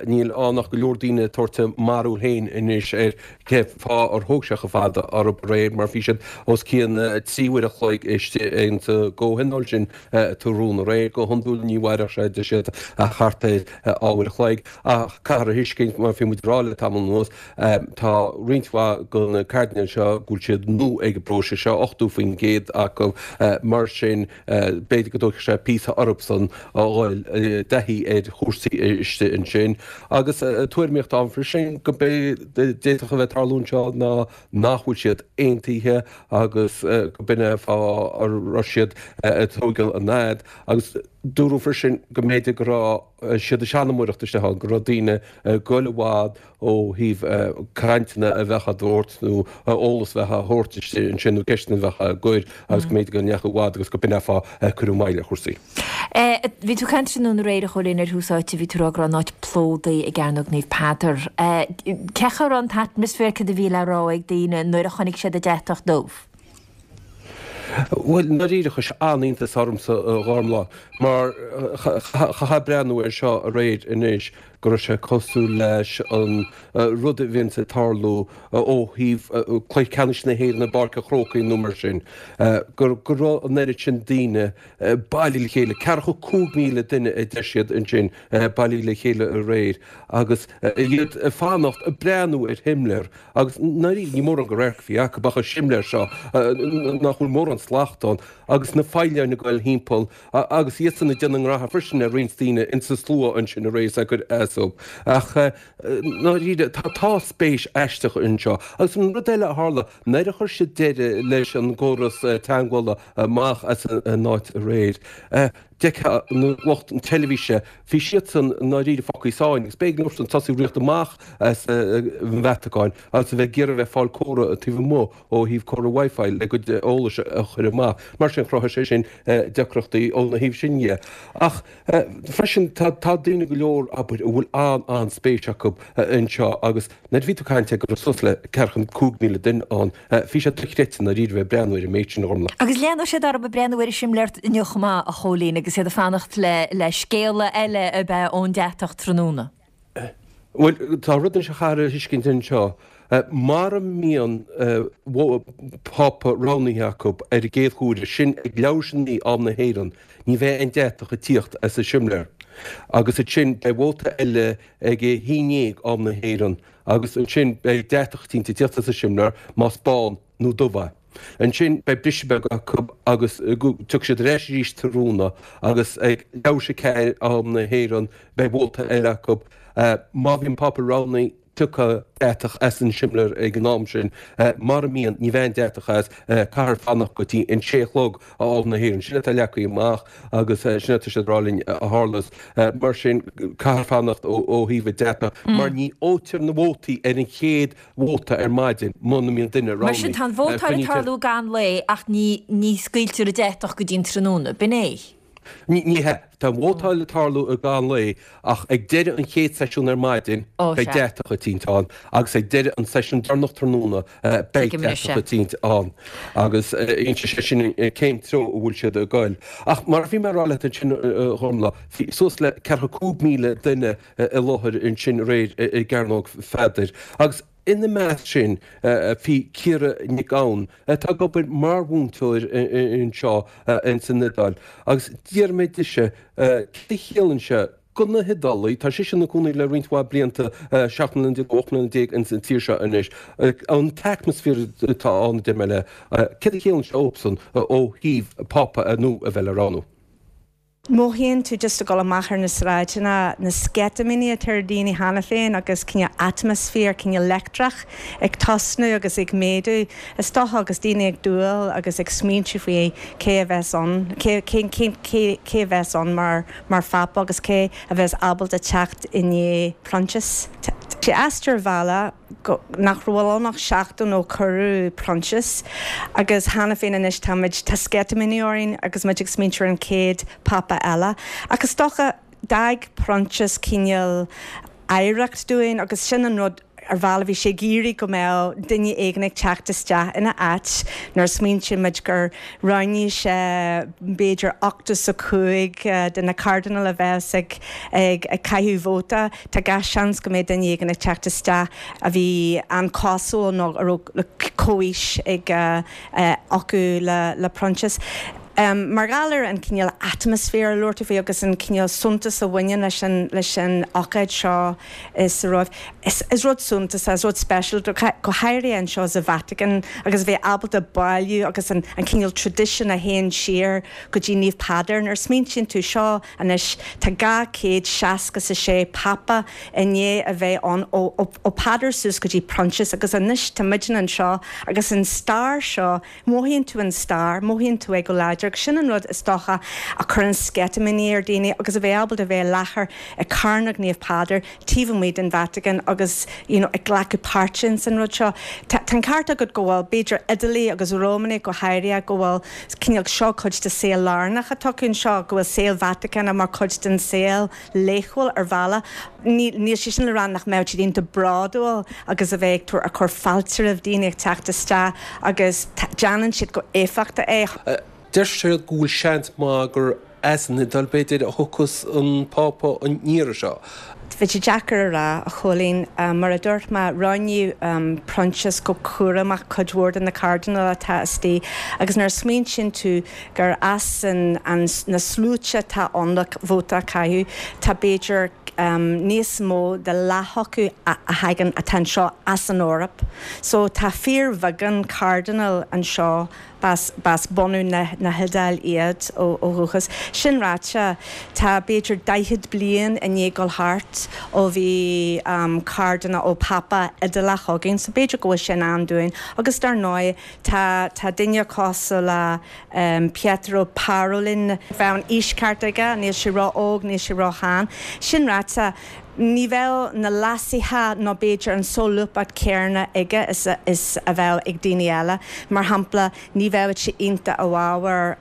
níl ann ach go leor daoine ag tabhairt a mbarúil féin anois ar cé fáth ar thóg sé chomh fada orthu aréir mar bhí siad os cionn 3 uair a chloig istigh insa gcomhthionól sin ag rún aréir. Go hiondúil ní mhairfeadh sé, deir siad, ach thart ar dhá uair a chloig. Ach caithfear a thuiscint, mar bhí muid ag rá le tamall anuas, tá roinnt mhaith de na cairdinéil seo go bhfuil siad nua ag an bpróiseas seo, 80% acu, mar sin b'fhéidir go dtógfaidh sé píosa orthusan a dhul i dtaithí ar chúrsaí istigh ansin. Agus tuairimíocht ann freisin go d'fhéadfadh a bheith ag tarlú anseo ná nach bhfuil siad aontaithe agus go b'in é an fáth a raibh siad ag tógáil an fhad. Agus dúradh freisin go mb'fhéidir go raibh siad ag seanamóireacht isteach ann, go raibh daoine ag goil i bhfad ó thaobh cainteanna a bheadh á dtabhairt nó eolas a bheadh á thabhairt istigh ansin nó ceisteanna a bheadh á gcur agus go mb'fhéidir go ndeachaigh i bhfad agus go b'in é an fáth ar cuireadh moill ar chúrsaí.
Bhí tú ag caint tráthnóna aréir, a Chóilín, ar thús áite, bhí tú ag rá go raibh an áit plódaithe i gCearnóg Naomh Peadar. Cén chaoi a raibh an t-atmaisféar, cad a bhí le rá ag daoine nuair a chonaic siad an deatach dubh?
Bhuel, i ndáiríre, chuir sé an-iontas ormsa, a Ghormlaith, mar chaithfeá breathnú air seo aréir anois go raibh sé cosúil leis an rud a bhíonns ag tarlú ó thaobh cluiche ceannais na hÉireann i bPáirc an Chrócaigh nó mar sin, go raibh an oiread sin daoine bailithe le chéile, ceathracha 5,000 duine a deir siad ansin bailithe le chéile aréir agus iad ag fanacht, ag breathnú ar shimléar. Agus i ndáiríre, ní mórán de radharc a bhí acu ach an simléar seo, nach bhfuil mórán slacht ann, agus na feadhláin ag goil thimpeall, agus iadsan ag déanamh a ngraithe freisin ar roinnt daoine insa slua ansin aréir is ag cur as dóibh. Ach i ndáiríre, tá spéis aisteach anseo. Agus an rud eile a tharla, nuair a chuir siad deireadh leis an gcóras teagmhála amach as an áit aréir. D'fheicfeá lucht na teilifíse, bhí siadsan i ndáiríre fágtha i sáinn agus b'éigean leosan tosú ag rith amach as an Vatacáin agus a bheith ag iarraidh a bheith ag fáil comhartha taobh amuigh ó thaobh comhartha Wi-Fi le a gcuid eolais a chur amach. Mar sin, chruthaigh sé sin deacrachtaí óna thaobh sin dhe. Ach freisin, tá daoine go leor, abair, a bhfuil an-an-spéis acu anseo agus nuair a bhí tú ag caint go raibh suas le ceathracha 5,000 duine ann, bhí sé dochreidte i ndáiríre a bheith ag breathnú ar an méid sin, a Ghormlaith.
Agus leanfaidh siad orthu ag breathnú ar an simléar inniu chomh maith, a Chóilín, agus iad ag fanacht le scéala eile ab ea ón deatach tráthnóna.
Bhuel, tá rud anois a chaithfear a thuiscint anseo. Mara mbíonn Pápa roghnaithe acu ar an gcéad huaire, sin ag leathuair tar éis a naoi am na hÉireann, ní bheidh aon deatach ag tíocht as an simléar. Agus ansin beidh vóta eile ag a haon dhéag am na hÉireann agus ansin beidh deatach eicínt ag tíocht as an simléar, más bán nó dubh é. Ansin beidh briseadh beag acu agus tiocfaidh siad ar ais arís tráthnóna agus ag leathuair tar éis a ceathair am na hÉireann beidh vóta eile acu. Má bhíonn Pápa roghnaithe tiocfaidh deatach as an simléar ag an am sin. Mara mbíonn, ní bheidh aon deatach as. Caithfear fanacht go dtí an sé a chlog am na hÉireann. Sin atá leagtha amach agus sin atá siad ag rá linn a tharlós. Mar sin caithfear fanacht ó thaobh an deatach mar ní fhaightear na vótaí ar an chéad vóta ar maidin muna mbíonn duine
Mar sin,
roghnaithe.
tá an vótáil ag tarlú i gcaitheamh an lae ach ní ní scaoiltear an deatach go dtí an tráthnóna. B'in é?
Ní hea. Tá an vótáil ag tarlú i gcaitheamh an lae ach ag deireadh an chéad seisiún ar maidin
Ó,
beidh
sea.
deatach eicínt ann agus ag deireadh an seisiún deireanach tráthnóna beidh
Tuigim anois,
deatach
sea.
eicínt ann agus inseoidh sé sin cén treo a bhfuil siad ag goil. Ach mar a bhí mé ag rá leat ansin, a Ghormlaith, bhí suas le ceathracha 5,000 duine i láthair ansin aréir i gCearnóg Pheadair. Agus ina measc sin bhí Ciara Nic Gabhann, atá ag obair mar mhúinteoir anseo ins an Iodáil. Agus d'iarr mé dise céard a chiallaíonn sé do na hIodálaigh, tá sise ina cónaí le roinnt mhaith blianta, 17 mbliana nó 18 mbliana ins an tír seo anois, an t-atmaisféar atá ann, a deir mé léi, céard a chiallaíonn sé dóibhsan ó thaobh Pápa nua a bheith le roghnú.
Mothaíonn tú just ag dul amach ar na sráideanna, na sceitimíní atá ar daoine cheana féin agus cineál atmaisféar cineál leictreach ag tosnú agus ag méadú. Is dócha agus daoine ag dúil agus ag smaointiú faoi cé a bheas ann, cé, cé, cé, cé, cé a bheas ann mar, mar Phápa agus cé a bheas ábalta teacht i ndiaidh Proinsias. Tá sé aisteach ar bhealach. go, nach raibh ann ach seachtain ó cuireadh Proinsias agus cheana féin anois táimid, tá sceitimíní orainn agus muid ag smaointiú ar an chéad Phápa eile. Ach is dócha, d'fhág Proinsias cineál oidhreacht dúinn agus sin an rud ar bhealach bhí sé ag iarraidh go mbeadh duine éigin ag teacht isteach ina áit nuair a smaointíonn muid gur roghnaigh sé b'fhéidir 85 de na cairdinéil a bheas ag ag caitheamh vóta. Tá gach seans go mbeidh duine éigin ag teacht isteach a bhí an-chosúil nó a raibh comhaois ag acu le Proinsias. Mar gheall ar an cineál atmaisféar a labhair tú faoi agus an cineál suntas a bhaineann leis an leis an ócáid seo sa Róimh, is rud suntasach, is rud speisialta, go háirithe anseo sa Vatican agus a bheith ábalta bailiú agus an cineál traidisiún a théann siar go dtí Naomh Peadar. Nuair a smaointíonn tú seo Anois tá 266 Pápa i ndiaidh a bheith ann ó ó Peadar suas go dtí Proinsias agus anois tá muidne anseo agus an stair seo, mothaíonn tú an stair, mothaíonn tú é go láidir agus sin an rud is dócha a chuireann sceitimíní ar daoine agus a bheith ábalta a bheith i láthair ag Cearnóg Naomh Peadar taobh amuigh den Vatican agus you know ag glacadh páirte ins an rud seo. Tá an ceart agat go bhfuil, b'fhéidir Iodálaigh agus Rómanaigh go háirithe, go bhfuil cineál seo cuid de saol lárnach atá acu anseo, go bhfuil saol Vatacáin mar chuid den saol laethúil ar bhealach. Níl sé sin le rá nach mbeadh siad iontach bródúil agus a bheith ag tabhairt, ag cur fáilte roimh daoine ag teacht isteach agus déanann siad go éifeachtach é.
Deir siad go bhfuil seans maith gur as an Iodáil, b'fhéidir, a thiocfas an Pápa an iarraidh seo.
Bheadh sé deacair a rá, a Chóilín. Mar a dúirt mé, roghnaíodh Proinsias go cúramach cuid mhór de na cairdinéil atá istigh agus nuair a smaointíonn tú gur as na sluaite atá ann le vóta a chaitheamh, tá b'fhéidir níos mó de leath acu a thagann, atá anseo as an Eoraip. So tá fíorbheagán cairdinéil anseo. B'as, b'as bunadh na, na hIodáil iad ó, ó dhúchas. Sin ráite, tá b'fhéidir daichead bliain i ndiaidh dul thart ó bhí cairdinéal, ó Pápa Iodálach againn, so b'fhéidir go bhfuil sé in am dúinn. Agus dar ndóigh, tá, tá duine cosúil le Pietro Parolin, bheadh an aois ceart aige, níl sé ró-óg, níl sé ró-shean. Sin ráite, ní bheadh na leasuithe nó b'fhéidir an solúbthacht céarna aige is is a bheadh ag daoine eile. Mar shampla, ní bheadh sé iontach i bhfabhar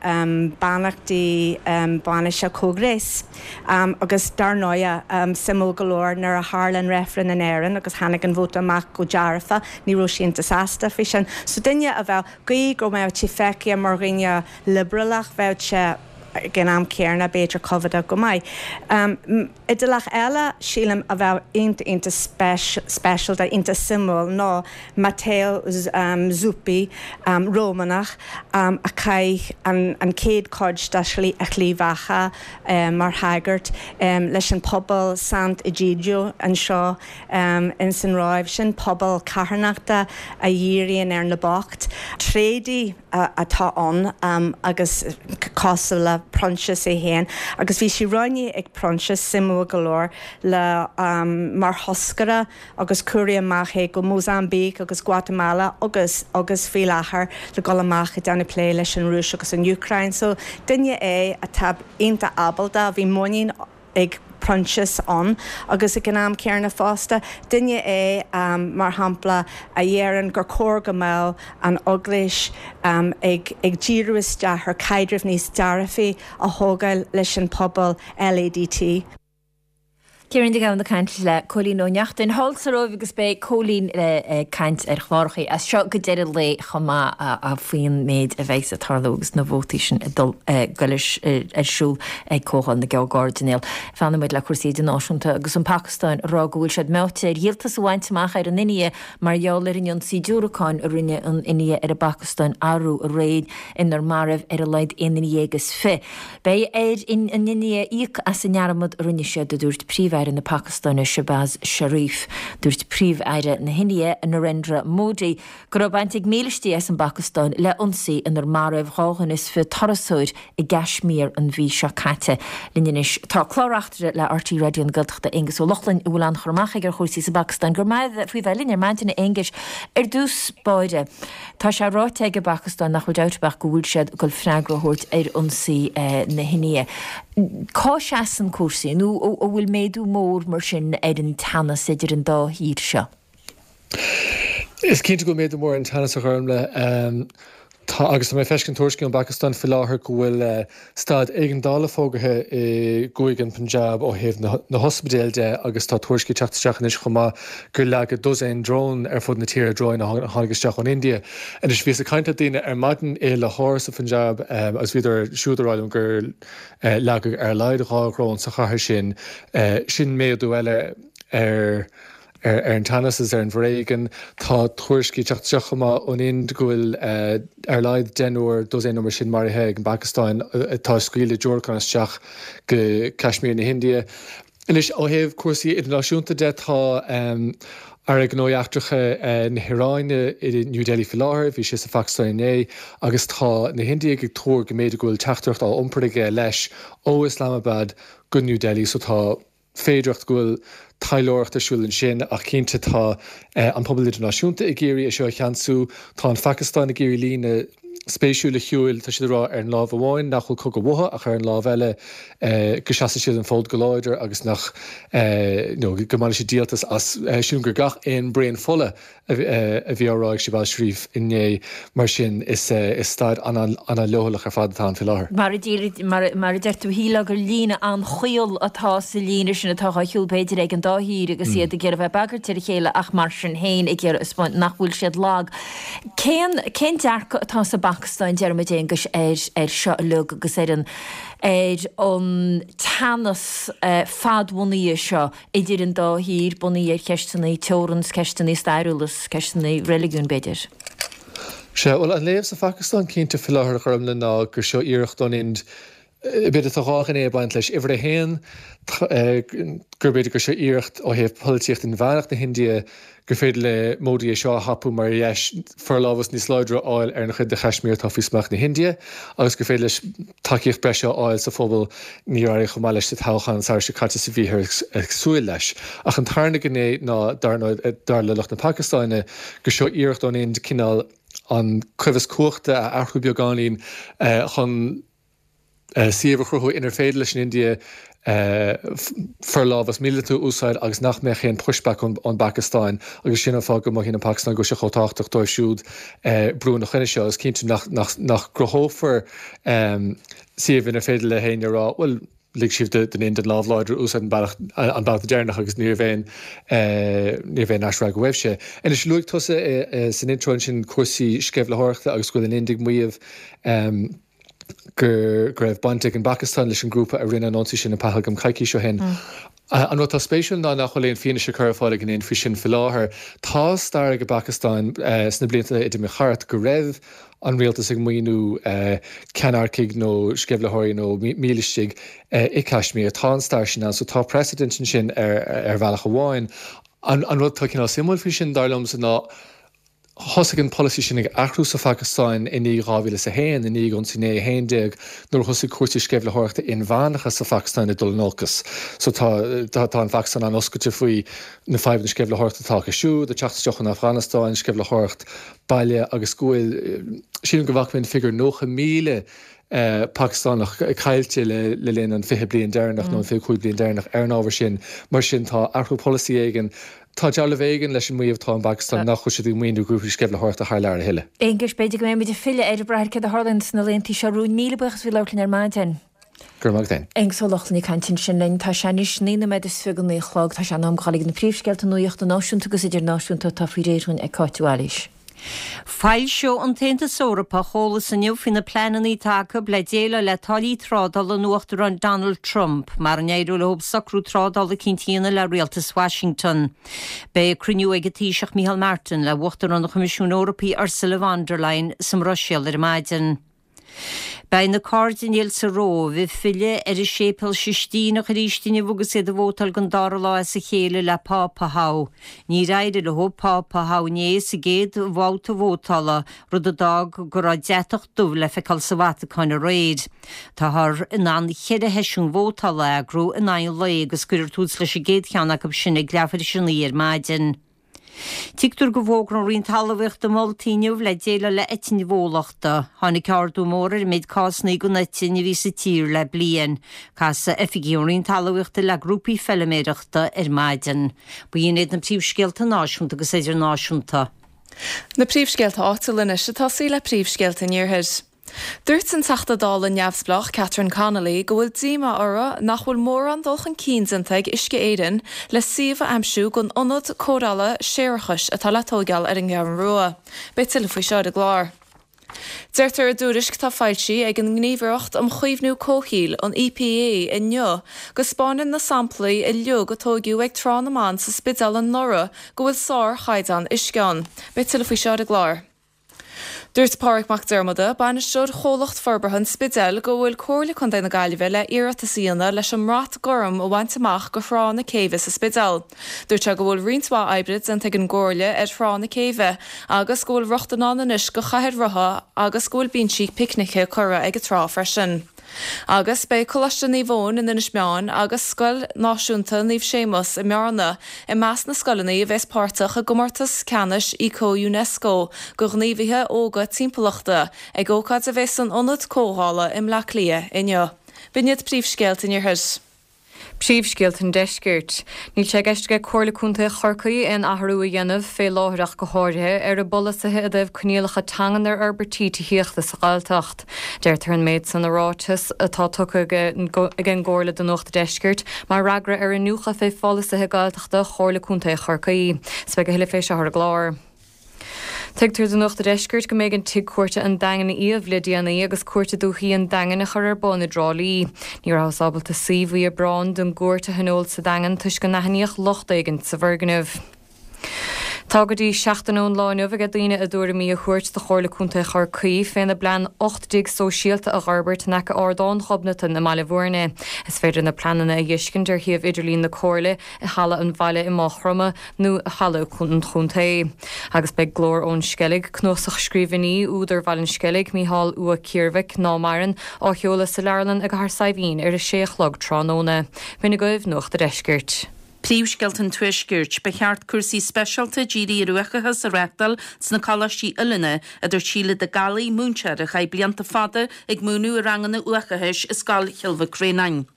beannachtaí bainise comhghnéis. Agus dar ndóighe, suimiúil go leor, nuair a tharla an reifreann in Éirinn agus tháinig an vóta amach go dearfa, ní raibh sé iontach sásta faoi sin. So duine a bheadh, gidh go mbeadh sé feicthe mar dhuine liobrálach, bheadh sé ag an am céarna b'fhéidir coimhéadach go maith. Iodálach eile, sílim, a bheadh iontach, iontach speisialta, iontach suimiúil ná Matteo Zuppi, Rómánach a chaith an chéad chuid dá shlí, a shlí bheatha mar shagart leis an pobal Sant'Egidio anseo ins an Róimh. Sin pobal carthanachta a dhíríonn ar na boicht. Tréadaí. atá ann agus cosúil le Proinsias é féin agus bhí sé roghnaithe ag Proinsias, suimiúil go leor, le mar thoscaire agus cuireadh amach é go Mozambique agus Guatamala agus agus faoi láthair le dul amach ag déanamh plé leis an Rúis agus an Úcráin. So duine é atá iontach ábalta, bhí muinín ag Proinsias ann agus ag an am céanna fosta, duine é, mar shampla, a dheireann gur chóir go mbeadh an Eaglais ag ag díriú isteach ar caidreamh níos dearfaí a thógáil leis an pobal LADT.
Ciarán Mac Gabhann ag caint le Cóilín Ó Neachtain thall sa Róimh agus beidh Cóilín ag caint ar chlárachaí as seo go deireadh lae chomh maith faoin méid a bheidh ag tarlú agus na vótaí sin ag dul goil ar siúl ag Comhdháil na gCairdinéal. Fanfaidh muid le cúrsaí idirnáisiúnta agus an Phacastáin ag rá go bhfuil siad meáite ar dhíoltas a bhaint amach ar an India mar gheall ar an ionsaí diúracáin a rinne an India ar an bPacastáin arú aréir inar maraíodh ar a laghad aon duine dhéag is fi. Beidh ar an India íoc as an ndearmad a rinne siad, a dúirt Príomh-Aire na Pacastáine Shehbaz Sharif. Dúirt Príomh-Aire na hIndia Narendra Modi go raibh baint ag mílístí as an bPacastáin le ionsaí inar maraíodh 22 dhuine turasóir i gCaismír an mhí seo caite. Linn anois tá clár-reachtaire le RTÉ Raidió na Gaeltachta, Aengus Ó Lochlainn, a bhfuil an-chur amach aige ar chúrsaí sa bPacastáin. Go raibh maith faoi bheith linn ar maidin, a Aonghuis. Ar dtús báire, tá sé ráite ag an bPacastáin nach bhfuil dabht ar bith ach go bhfuil siad ag dul freagra a thabhairt ar ionsaí na hIndia. Cá seasann cúrsaí, nó an bhfuil méadú mór mar sin ar an teannas idir an dá thír seo?
Is cinnte go bhfuil méadú mór ar an teannas, a Ghormlaith. Tá, agus tá mé ag feiscint tuairiscí ón bPacastáin faoi láthair go bhfuil staid éigeandála fógartha i gcúige an Punjab ó thaobh na hospidéal de agus tá tuairiscí ag teacht isteach anois chomh maith gur leagadh dosaen drón ar fud na tíre, dróin a tháinig isteach ón India. Anois, bhíos ag caint le daoine ar maidin i Lahore sa Phunjab agus bhíodar siúd ag rá liom gur leagadh ar a laghad dhá dhrón sa chathair sin. Sin méadú eile ar ar an teannas is ar an bhforéigean. Tá tuairiscí ag teacht isteach chomh maith ón Ind go bhfuil ar a laghad deichniúr, dosaen nó mar sin maraithe ag an bPacastáin atá ag scaoileadh diúracán isteach go Caismír na hIndia. Anois, ó thaobh cúrsaí idirnáisiúnta de, tá Aire Gnóthaí Eachtracha na hIaráine i New Delhi faoi láthair, bhí sé sa Phacastáin inné, agus tá na hIndiaigh ag tuar go mb'fhéidir go bhfuil teachtaireacht á iompar aige leis ó Islamabad go New Delhi so tá féidearthacht go bhfuil taidhleoireacht ar siúl ansin ach cinnte tá an pobal idirnáisiúnta ag iarraidh é seo a cheansú. Tá an Phacastáin ag iarraidh líne spéisiúil a shiúil, tá siad ag rá ar an lámh amháin nach bhfuil cogadh uathu ach ar an lámh eile go seasfaidh siad an fód go láidir agus nach nó go mbainfidh siad díoltas as. Sílim gur gach aon braon fola a bhí á rá ag Shehbaz Sharif inné. Mar sin, is staid an-leochaileach ar fad atá ann faoi láthair.
Mar a deir tú, shílfeá gur líne an-chaol atá sa líne sin atá á shiúl b'fhéidir ag an dá thír agus iad ag iarraidh bheith ag bagairt ar a chéile ach mar sin féin ag iarraidh a 'spáint nach bhfuil siad lag. Cén cén dearcadh atá sa bPacastáin, deir muid, Aonghus, ar ar seo uilig agus ar an ar an teannas fadbhunaithe seo idir an dá thír, bunaithe ar cheisteanna teorann 's ceisteanna stairiúla 's ceisteanna reiligiúin, b'fhéidir.
Sea, bhuel, an léamh sa Phacastáin cinnte faoi láthair, a Ghormlaith, ná gur seo iarracht ón Ind. B'fhéidir tá dhá ghné ag baint leis. Uimhir a haon, gur b'fhéidir gur seo iarracht ó thaobh polaitíocht inmheánach na hIndia gur féidir le Modi é seo a thapú mar dheis forlámhas níos láidre a fháil ar an chuid de Chaismír atá faoi smacht na hindia agus gur féidir leis tacaíocht breise a fháil sa phobal níor éirigh chomh maith leis sa toghchán an samhradh seo caite is a bhíothar ag súil leis. Ach an tarna gné ná, dar ndóigh, dar le lucht na Pacastáine, gur seo iarracht ón Ind cineál an coimheas cumhachta a athrú beagáinín chun suíomh a chruthú inar féidir leis an India forlámhas míleata a úsáid agus nach mbeadh aon pushback ón bPacastáin agus sin an fáth go mothaíonn an Phacastáin go bhfuil sé chomh tábhachtach dóibh siúd brú ina choinne seo agus cinntiú nach gcruthófar suíomh inar féidir le héinne a rá bhuel lig sibh don Ind an lámh láidir a úsáid an bealach an babhta deireanach agus ní raibh aon ní raibh aon aisfhreagra uaibhse. Anois luaigh tusa san intro ansin cúrsaí sceimhlitheoireachta agus go bhfuil an Ind ag maíomh go raibh baint ag an bPacastáin leis an ngrúpa a rinne an ionsaí sin in Pahalgam coicís ó shin. An rud atá spéisiúil ná nach bhfuil aon fianaise curtha ar fáil ag an Ind faoi sin faoi láthair. Tá stair ag an bPacastáin sna blianta a d'imigh thart go raibh an rialtas ag maoiniú ceannaircigh nó sceimhlitheoirí nó mílistigh i Caismír. Tá an stair sin ann so tá precedent ansin ar bhealach amháin. An rud atá cineál suimiúil faoi sin, dar liomsa, ná Thosaigh an polasaí sin ag athrú sa Phacastáin i ndiaidh 2001, i ndiaidh ionsaí 9/11, nuair a thosaigh cúrsaí sceimhlitheoireachta inmheánacha sa Phacastáin ag dul in olcas. So tá, tá, tá an Phacastáin an-oscailte faoi na fadhbanna sceimhlitheoireachta atá acu siúd, ag teacht isteach ón Afganastáin, sceimhlitheoireacht baile agus go bhfuil, sílim go bhfaca mé an figiúr 90,000 Pacastánach caillte le linn an 20 bliain deireanach nó an 25 bliain deireanach ar an ábhar sin. Mar sin tá athrú polasaí éigin, tá dealramh éigin leis an maíomh atá ón bPacastáin nach bhfuil siad ag maoiniú grúpaí sceimhlitheoireachta thar lear a thuilleadh.
Aonghus, b'fhéidir go mbeidh muid ag filleadh air ag brath ar céard a tharlaíonn sna laethanta seo romhainn. Míle buíochas as bheith ag labhairt linn ar maidin.
Go raibh maith agat féin.
Aonghus Ó Lochlainn ag caint ansin linn. Tá sé anois 9 nóiméad is 29 a chlog. Tá sé in am dul ag na príomhscéalta nuachta náisiúnta agus idirnáisiúnta atá faoi réir dhúinn ag Cáit Mhaoilís.
Foilseoidh an tAontas Eorpach eolas inniu faoi na pleananna atá acu le déileáil le táillí trádála an Uachtaráin Donald Trump, mara n-éireoidh leo socrú trádála eicínt a dhéanamh le rialtas Washington. Beidh cruinniú ag an Taoiseach Micheál Martin le hUachtarán an Choimisiúin Eorpaigh Ursula von der Leyen sa mBruiséil ar maidin. Beidh na cairdinéil sa Róimh ag filleadh ar an Séipéal Sistíneach arís inniu agus iad ag vótáil don dara lá as a chéile le Pápa a thoghadh. Níor éirigh leo Pápa a thoghadh inné sa gcéad bhabhta vótála, rud a d'fhág go raibh deatach dubh le feiceáil sa Vatacáin aréir. Táthar in ann cheithre sheisiún vótála a eagrú in aghaidh an lae agus cuirfear tús leis an gcéad cheann acu sin ag leathuair tar éis a 9 ar maidin. Tuigtear go bhfógróidh an Roinn Talmhaíochta moltaí inniu le déileáil le eitinn bhólachta. Tháinig ardú mór ar an méid cásanna den eitinn a bhí sa tír le bliain. Casfaidh oifigigh ón Roinn Talmhaíochta le grúpaí feiliméireachta ar maidin. B'in iad na príomhscéalta náisiúnta agus idirnáisiúnta.
Na príomhscéalta áitiúla anois ag tosaí le príomhscéalta an Iarthair. Dúirt an Teachta Dála neamhspleách Catherine Connolly go bhfuil díomá uirthi nach bhfuil mórán dul chun cinn déanta ag Uisce Éireann le suíomh a aimsiú don ionad cóireála séarachais atá le tóigeáil ar an gCeathrú Rua. Beidh tuilleadh faoi seo ar an gclár. Deirtear i dtuairisc atá foilsithe ag an nGníomhaireacht um Chaomhnú Comhshaoil, an EPA, inniu go 'spáineann na samplaí uilig a tóigeadh ag Trá na mBan sa Spidéal anuraidh go bhfuil sár-chaighdeán uisce ann. Beidh tuilleadh faoi seo ar an gclár. Dúirt Pádraig Mac Diarmada, Bainisteoir Chomhlacht Forbartha an Spidéil, go bhfuil Comhairle Contae na Gaillimhe le iarratas a dhéanamh leis an mBrat Gorm a bhaint amach go Thrá na Céibhe sa Spidéal. Dúirt sé go bhfuil roinnt mhaith oibre déanta ag an gComhairle ar Thrá na Céibhe agus go bhfuil rochtain ann anois go chathaoir rotha agus go bhfuil binsí picnice curtha ag an trá freisin. Agus beidh Coláiste Naomh Eoin in Inis Meáin agus Scoil Náisiúnta Naomh Séamus i mBearna i measc na scoileanna a bheas páirteach i gcomórtas ceannais Eco Unesco do ghníomhaithe óga timpeallachta ag ócáid a bheas san Ionad Comhdhála i mBleá Cliath inniu. B'in iad príomhscéalta an Iarthair.
Príomhscéalta an Deiscirt. Níl sé i gceist aige Comhairle Contae Chorcaí aon athrú a dhéanamh, fé láthair ach go háirithe, ar a bpolasaithe i dtaobh coinníollacha teangan ar fhorbairtí tithíochta sa Ghaeltacht. Deirtear an méid san i ráiteas atá tugtha ag an gComhairle do Nuacht a' Deiscirt mar fhreagra ar iniúchadh fé pholasaithe Gaeltachta Chomhairle Contae Chorcaí. 'S beidh a thuilleadh fé seo ar an gclár. Tuigtear do Nuacht a' Deiscirt go mb'éigean Tigh Cúirte an Daingin a iamh le déanaí agus Cúirt Dúiche an Daingin a chur ar bun i dTrá Lí. Ní rabhthas ábalta suí mhí Aibreáin don gcúirt a thionól sa Daingean toisc go n-aithníodh locht éigin sa bhfoirgneamh. Tá go dtí seachtain ón lá inniu aige daoine a dtuairimí a thabhairt do Chomhairle Contae Chorcaí féna bplean 8 dtigh sóisialta a dh'fhorbairt in aice Ardán Ghobnatan i mBaile Bhuirne. Is féidir na pleananna a dh'fheiscint ar shuíomh idirlín na Comhairle, i Halla an Bhaile i Maigh Chromtha nó i Halla an Chontae. Agus beidh Glór ón Sceilg, cnuasach scríbhinní údar Bhaile an Sceilg, Mícheál Ua Ciarmhaic, ná maireann, á sheoladh sa Leabharlann i gCathair Saidhbhín ar a sé a chlog tráthnóna. B'in agaibh Nuacht a' Deiscirt.
Príomhscéalta an Tuaiscirt, Ba cheart cúrsaí speisialta dírithe ar uathachas a reáchtáil sna coláistí oiliúna, a dúirt Síle de Gallaí, múinteoir a chaith blianta fada ag múineadh i ranganna uathachais i Scoil Chill Mhic Réanáin.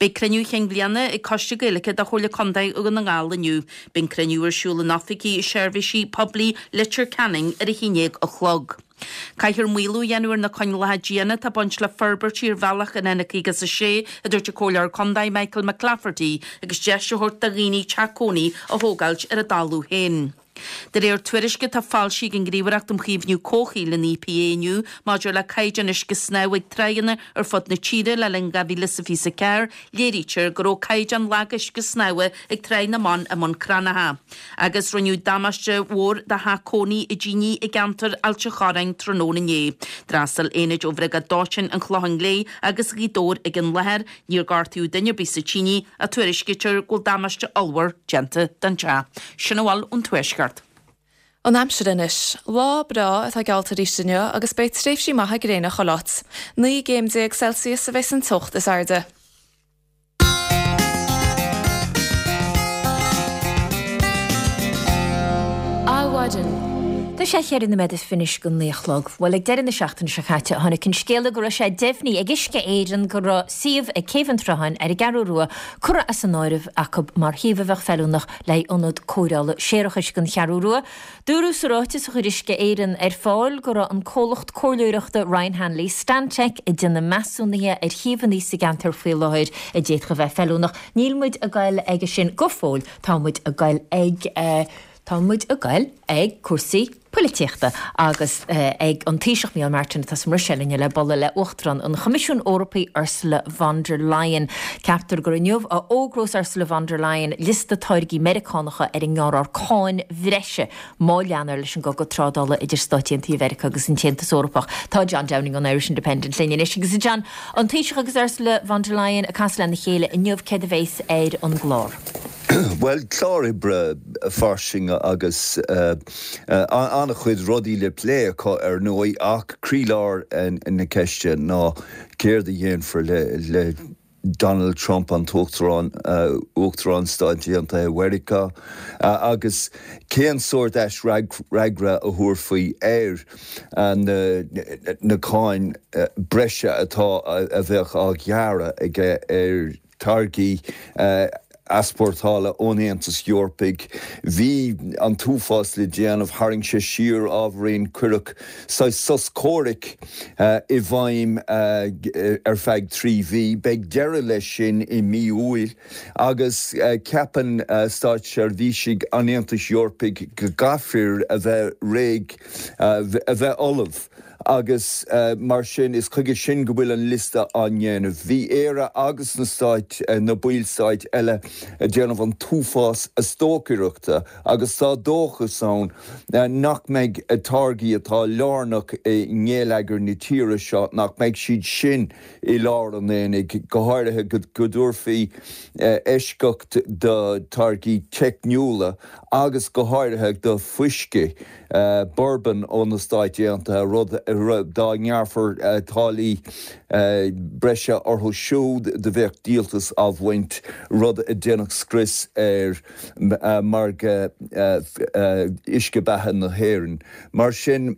Beidh cruinniú chinn bhliana ag Coiste Gaeilge de Chomhairle Contae Dhún na nGall inniu. Beidh an cruinniú ar siúl in oifigí Seirbhísí Poiblí Leitir Ceanainn ar a haon dhéag a chlog. Caithfear maolú a dhéanamh ar na coinníollacha diana atá ag baint le forbairtí ar bhealach an N56, a dúirt an Comhairleoir Contae Michael McClafferty, agus deis a thabhairt do dhaoine teach cónaí a thógáilt ar a dtalamh féin. De réir tuairisce atá foilsithe ag an nGníomhaireacht um Chaomhnú Comhshaoil, an EPA, inniu maidir le caighdeán uisce snámha ag tráigheanna ar fud na tíre le linn 2024, léirítear go raibh caighdeán lag uisce snámha ag Tráigh na mBan i mBun Cranncha. Agus rinneadh damáiste mhór do theach cónaí i dtine i gceantar Ailt an Chorráin tráthnóna inné. D'fhreastail aonaid ó Bhriogáid Dóiteáin an Chlocháin Léith agus Ghaoth Dobhair ag an láthair. Níor gortaíodh duine ar bith sa tine ach tuairiscítear go bhfuil damáiste ollmhór déanta don teach. Sin a bhfuil ón Tuaisceart.
An aimsir anois. Lá breá atá geallta arís inniu agus beidh tréimhsí maithe gréine chuile áit. 19 gcéim Celsius a bheas an teocht is airde.
Adhmhaidin. Tá sé cheithre nóiméad is fiche go naoi a chlog. Bhuel, ag deireadh na seachtaine seo caite, tháinig an scéala go raibh sé deimhnithe ag Uisce Éireann go raibh suíomh ag Céibh an tSrutháin ar an gCeathrú Rua curtha as an áireamh acu mar shuíomh a bheadh feiliúnach le haghaidh ionad cóireála séarachais don Cheathrú Rua. Dúradh sa ráiteas a chuir Uisce Éireann ar fáil go raibh an comhlacht comhairleoireachta Ryan Hanley Stantec ag déanamh measúnaithe ar shuíomhanna sa gceantar faoi láthair a d'fhéadfadh a bheith feiliúnach. Níl muid ag goil aige sin go fóill, tá muid ag goil ag, tá muid ag goil ag cúrsaí poilitíochta agus ag an Taoiseach Micheál Martin atá sa mBruiséil inniu le bualadh le Uachtarán an Choimisiúin Eorpaigh Ursula von der Leyen. Ceaptar gur inniu a fhógrós Ursula von der Leyen liosta táirgí Meiriceánacha ar a ngearrfar cáin bhreise má leantar leis an gcogadh trádála idir Stáit Aontaithe Mheiriceá agus an tAontas Eorpach. Tá John Downing ón Irish Independent linn anois agus a John, an Taoiseach agus Ursula von der Leyen ag casadh lena chéile inniu, céard a bheas ar an gclár?
Bhuel, clár oibre fairsing agus an-chuid rudaí le plé acu ar ndóigh ach croílár na ceiste ná céard a dhéanfar le Donald Trump, an tUachtarán, Uachtarán Stáit Aontaithe Mheiriceá, agus cén sórt aisfhreagra a thabharfaí ar na cáin breise atá a bheadh á ghearradh aige ar táirgí easpórtála ón Aontas Eorpaigh. Bhí an t-uafás le déanamh, tharraing sé siar ábhairín, cuireadh saghas sos comhraic i bhfeidhm ar feadh 3 mhí. Beidh deireadh leis sin i mí Iúil agus ceapann státseirbhísigh an Aontais Eorpaigh go gcaithfear a bheith réidh, a bheith ullamh. Agus mar sin, is chuige sin go bhfuil an liosta á ndéanamh. Bhí Éire agus na stáit, na baill-stáit eile ag déanamh an t-uafás stocaireachta agus tá dóchas ann nach mbeidh táirgí atá lárnach i ngeilleagar na tíre seo, nach mbeidh siad sin i lár an aonaigh, go háirithe go dtabharfaí eisceacht do táirgí teicniúla agus go háirithe do fuiscí. Bourbon ó na Stáit Aontaithe, rud dá ngearrfar táillí breise orthu siúd do bheadh díoltas á bhaint, rud a dhéanfadh scrios ar mhargadh uisce beatha na hÉireann. Mar sin,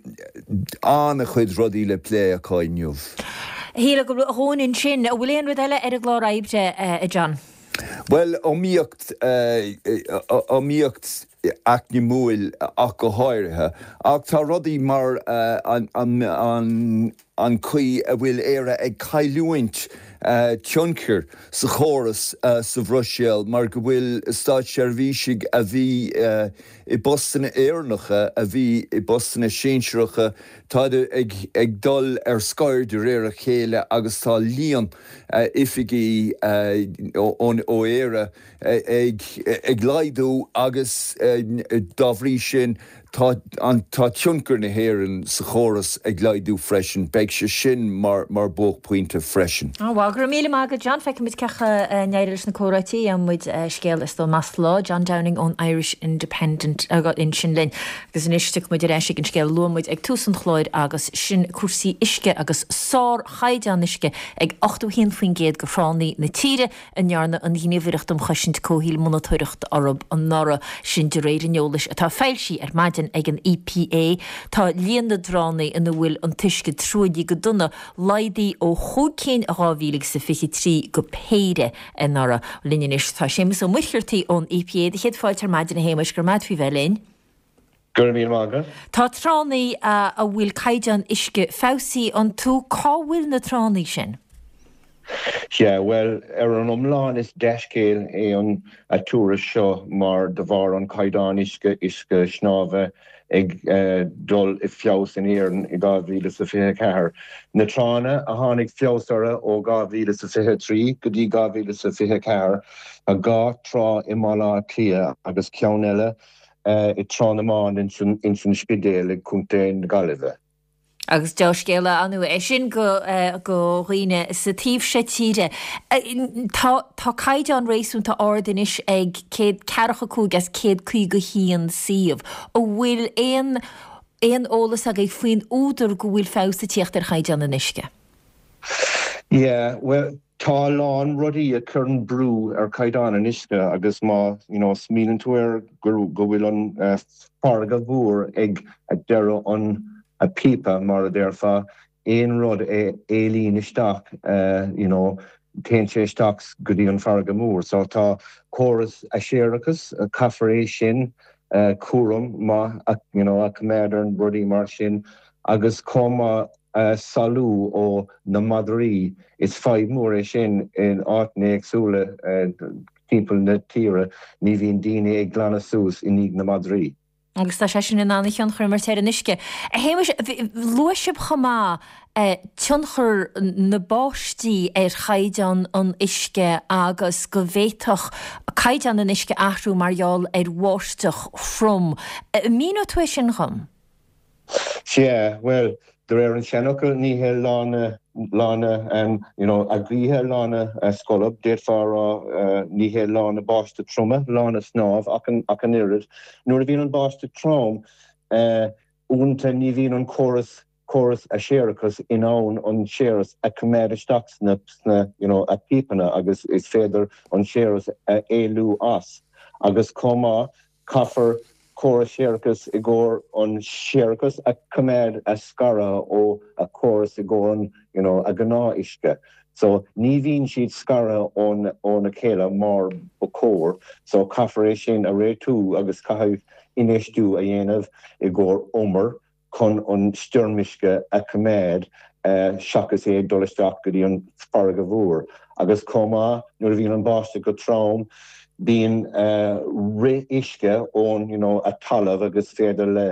an-chuid rudaí le plé acu inniu.
Shíl go raibh a dhóthain ansin. An bhfuil aon rud eile ar an gclár oibre, a John?
Bhuel, iomaíocht, iomaíocht eacnamúil ach go háirithe. Ach tá rudaí mar an chaoi a bhfuil Éire ag cailliúint. tionchar sa chóras sa Bhruiséil mar go bhfuil státseirbhísigh a bhí i bpostanna Éireannacha, a bhí i bpostanna sinsearacha, táid ag dul ar scor de réir a chéile agus tá líon oifigí ó Éire ag laghdú agus dá bhrí sin tá tá tionchar na hÉireann sa chóras ag laghdú freisin. Beidh sé sin mar mar buaicphointe freisin.
Á bhuel, go raibh míle maith agat John. Feicfidh muid cén chaoi a n-éireoidh leis na comhráití. Gheobhaidh muid scéal is dóigh meas lá. John Downing ón Irish Independent ansin linn. Agus anois tiocfaidh muid ar ais ag an scéal a luaigh muid ag tús an chláir agus sin cúrsaí uisce agus sárchaighdeán uisce ag 81% de thránna na tíre. a ndearna an Ghníomhaireacht um Chosaint Comhshaoil monatóireacht orthu anuraidh, sin de réir an eolais atá foilsithe ar maidin ag an EPA. Tá líon na dtránna ina bhfuil an t-uisce truaillithe go dona laghdaithe ó chúig cinn in 2023 go péire anuraidh. Linn anois tá Séamus Ó Muircheartaigh ón EPA. Do chéad fáilte ar maidin a Shéamuis, go raibh maith agat faoi bheith linn.
Go raibh míle maith agat.
Tá tránna a bhfuil caighdeán uisce feabhsaithe iontu. Cá bhfuil na tránna sin?
Sea, bhuel, ar an iomlán is dea-scéal é an tuairisc seo mar de bharr an caighdeán uisce, uisce snámha, ag dul i feabhas in Éirinn i 2024. Na tránna a tháinig feabhas orthu ó 2023 go dtí 2024, tá dhá trá i mBaile Átha Cliath agus ceann eile i dTrá na mBan ins an Spidéal i gContae na Gaillimhe.
Agus deá-scéala ar ndóigh é sin go do dhaoine sa taobh seo tíre. Tá tá caighdeán réasúnta ard anois ag 145 as 151 suíomh. An bhfuil aon aon eolas agaibh faoin údar go bhfuil feabhas ag tíocht ar chaighdeán an uisce?
Yeah, bhuel, Tá a lán rudaí a chuireann brú ar chaighdeán an uisce agus má you know smaoiníonn tú air go go bhfuil an farraige mhór ag deireadh an píopa mar a déarfá, aon rud a éalaíonn isteach you know téann sé isteach go dtí an farraige mhór. So tá córas séarachais, caithfear é sin cúram maith you know a choimeád ar rudaí mar sin agus chomh maith salú ó na madraí. Is fadhb mhór é sin in áiteanna éagsúla timpeall na tíre, ní bhíonn daoine ag glanadh suas i ndiaidh na madraí.
Agus tá sé sin in ann a thionchar a imirt ar an uisce. A Shéamais, luaigh sibh chomh maith tionchar na báistí ar chaighdeán an uisce agus go bhféadfadh caighdeán an uisce athrú mar gheall ar bháisteach throm. An míneoidh tú é sin dhom?
Sea, bhuel, de réir an seanfhocail, ní hé lá na, lá na, you know, a gaoithe lá na scolb, d'fhéadfá a rá, ní hé lá na báistí troime lá na snámh ach an, ach an oiread. Nuair a bhíonn an báisteach trom, uaireanta ní bhíonn an córas, córas a séarachais in ann an séarachas a choimeád isteach sna, sna, you know, a píopanna agus is féidir an séarachas a éalú as. Agus chomh maith, Caithfear córas séarachais i gcomhair an séarachas a choimeád a scaradh ó a córas i gcomhair an you know a gnáth uisce. So ní bhíonn siad scartha ón óna chéile mar ba chóir. So caithfear é sin a réitiú agus caithfidh infheistiú a dhéanamh i gcomhair umar chun an stoirmuisce a choimeád seachas é ag dul isteach go dtí an farraige mhór. Agus chomh maith, nuair a bhíonn an báisteach go trom, bíonn rith uisce ón you know a talamh agus féidir le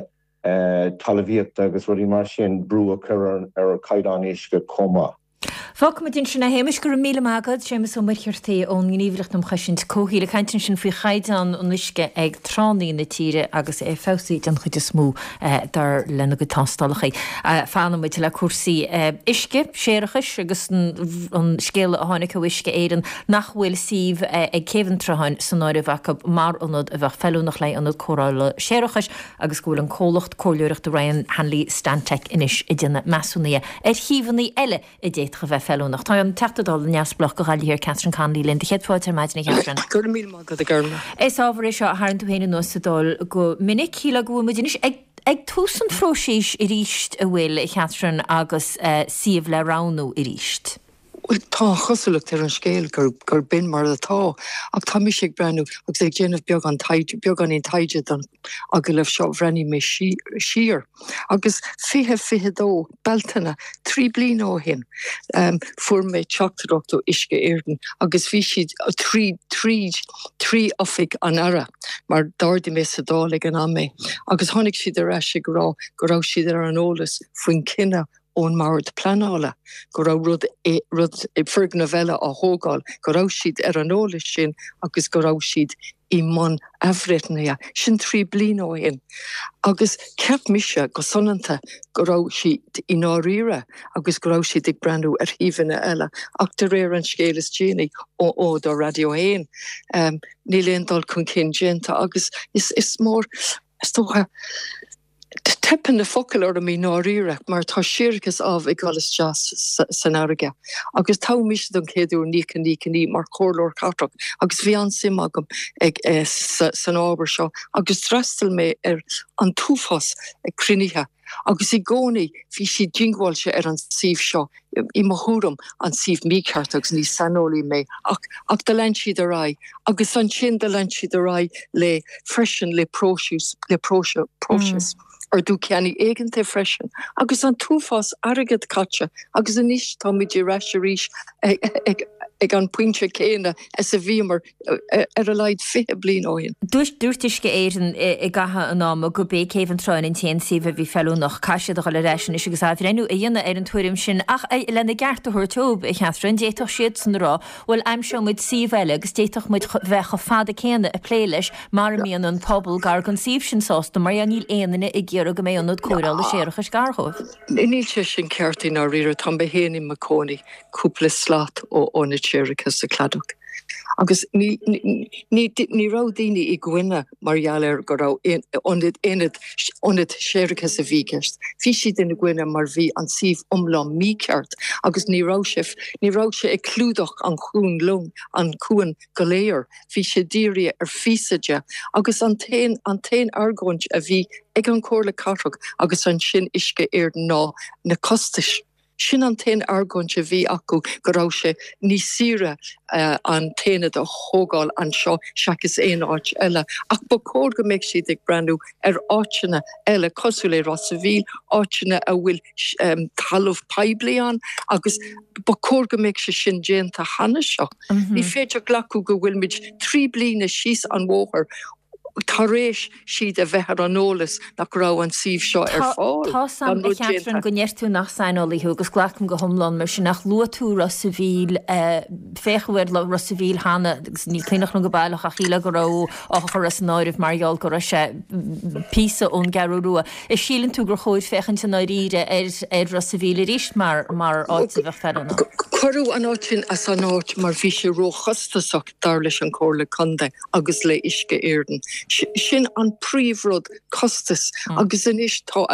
talmhaíochta agus rudaí mar sin brú a chur ar chaighdeán uisce chomh maith.
Fágfaimid ansin é, a Shéamais. Go raibh míle maith agat. Séamus Ó Muircheartaigh ón nGníomhaireacht um Chosaint Comhshaoil ag caint ansin faoi chaighdeán an uisce ag tránna na tíre agus é feabhsaithe den chuid is mó dar lena gcuid tástálacha. Fanfaimid le cúrsaí uisce, séarachais agus an scéala a tháinig ó Uisce Éireann nach bhfuil suíomh ag Céibh an tSrutháin san áireamh acu mar ionad a bheadh feiliúnach le ionad cóireála séarachais agus go bhfuil an comhlacht comhairleoireachta Ryan Hanley Stantec anois ag déanamh measúnaithe ar shuíomhanna eile a d'fhéadfadh a bheith feiliúnach. Tá an Teachta Dála neamhspleách do Ghaillimh Thiar, Catherine Connolly linn. Do chéad fáilte ar maidin, a Chatherine.
Go raibh míle maith agat, a Ghormlaith.
Is ábhar é seo a tharraing tú féin anuas sa Dáil go minic. Shílfeá go bhfuil muid anois ag ag tús an phróisis arís, an bhfuil, a Chatherine, agus suíomh le roghnú arís?
Bhuel, tá an chosúlacht ar an scéal gur b'in mar atá, ach tá mise ag breathnú agus ag déanamh beagán taighde, beagáinín taighde don agallamh seo, bhreathnaigh mé siar agus 2022, Bealtaine, 3 bliana ó shin, fuair mé teachtaireacht ó Uisce Éireann agus bhí siad trí, tríd, trí oifig an Aire, mar d'ardaigh mé sa Dáil ag an am é, agus tháinig siad ar ais ag rá go raibh siad ar an eolas faoin cinneadh ón mBord Pleanála go raibh rud, rud, foirgneamh eile á thógáil, go raibh siad ar an eolas sin agus go raibh siad i mbun athbhreithnithe. Sin 3 bliana ó shin. Agus cheap mise go soineanta go raibh siad i ndáiríre agus go raibh siad ag breathnú ar shuíomhanna eile ach de réir an scéil is déanaí ó ó do Radio 1, níl aon dul chun cinn déanta agus is is mór, is dócha, Teipeann na focail orm i ndáiríre mar tá séarachas amh ag dul isteach san fharraige agus toghadh mise don chéad uair 1999 mar chomhairleoir cathrach agus bhí an-suim agam ag san ábhar seo agus d'fhreastail mé ar an t-uafás cruinnithe agus i gcónaí bhí siad diongbháilte ar an suíomh seo i mo thuairim, an suíomh mícheart agus ní saineolaí mé ach ach do lean siad ar aghaidh agus ansin do lean siad ar aghaidh le freisin le próiseas le próiseas ordú ceannaigh éigeantaigh freisin agus an t-uafás airgead caite agus anois táimid ar ais arís ag ag an pointe céanna is a bhíomar ar a laghad 20 bliain ó shin.
Dúirt Uisce Éireann i gcaitheamh an ama gurb é Céibh an Trá an t-aon suíomh a bhí feiliúnach. Caithfidh siad a dhul ar ais anois agus athbhreithniú a dhéanamh ar an tuairim sin ach lena gceart a thabhairt dóibh, a Chatherine, d'fhéadfadh siadsan a rá, bhuel, aimseoidh muid suíomh eile agus d'fhéadfadh muid bheith chomh fada céanna ag plé leis mara mbíonn an pobal gar don suíomh sin sásta mar níl aon duine ag iarraidh go mbeidh ionad cóireála séarachais gar dhóibh.
Níl sé sin ceart i ndáiríre. Tá mé féin i mo chónaí cúpla slat ó ionad séarachais sa Chladach. Agus ní ní raibh daoine i gcoinne mar gheall ar go raibh ionad aonad ionad séarachais a bhí i gceist. Bhí siad ina gcoinne mar bhí an suíomh iomlán mícheart agus ní raibh sé ní raibh sé ag clúdach an chuan long an cuan go léir. Bhí sé dírithe ar phíosa de agus an t-aon an t-aon argóint a bhí ag an Chomhairle Cathrach agus ansin Uisce Éireann ná na costais. Sin an t-aon argóint a bhí acu, go raibh sé níos saoire an t-aonad a thógáil anseo seachas aon áit eile. Ach ba chóir go mbeadh siad ag breathnú ar áiteanna eile cosúil le Ros a' Mhíl, áiteanna a bhfuil talamh poiblí ann agus ba chóir go mbeadh sé sin déanta cheana seo. Ní féidir glacadh go bhfuilimid 3 bliana síos an bhóthar tar éis siad a bheith ar an eolas nach raibh an suíomh seo ar fáil,
Tá 's a'm, a Chatherine, go ndeir tú nach saineolaí thú agus glacaim go hiomlán mar sin ach luaigh tú Ros a' Mhíl, féachadh ar Ros a' Mhíl cheana agus ní cuimhneach liom go baileach ach shílfeá go raibh á chur as an áireamh mar gheall go raibh sé píosa ón gCeathrú Rua. An síleann tú gur chóir féachaint i ndáiríre ar ar Ros a' Mhíl arís mar mar áit a bheadh feiliúnach?
Cuireadh an áit sin as an áit mar bhí sé róchostasach. dar leis an Chomhairle Contae agus le Uisce Éireann. Sin an príomhrud, costas. Agus anois tá,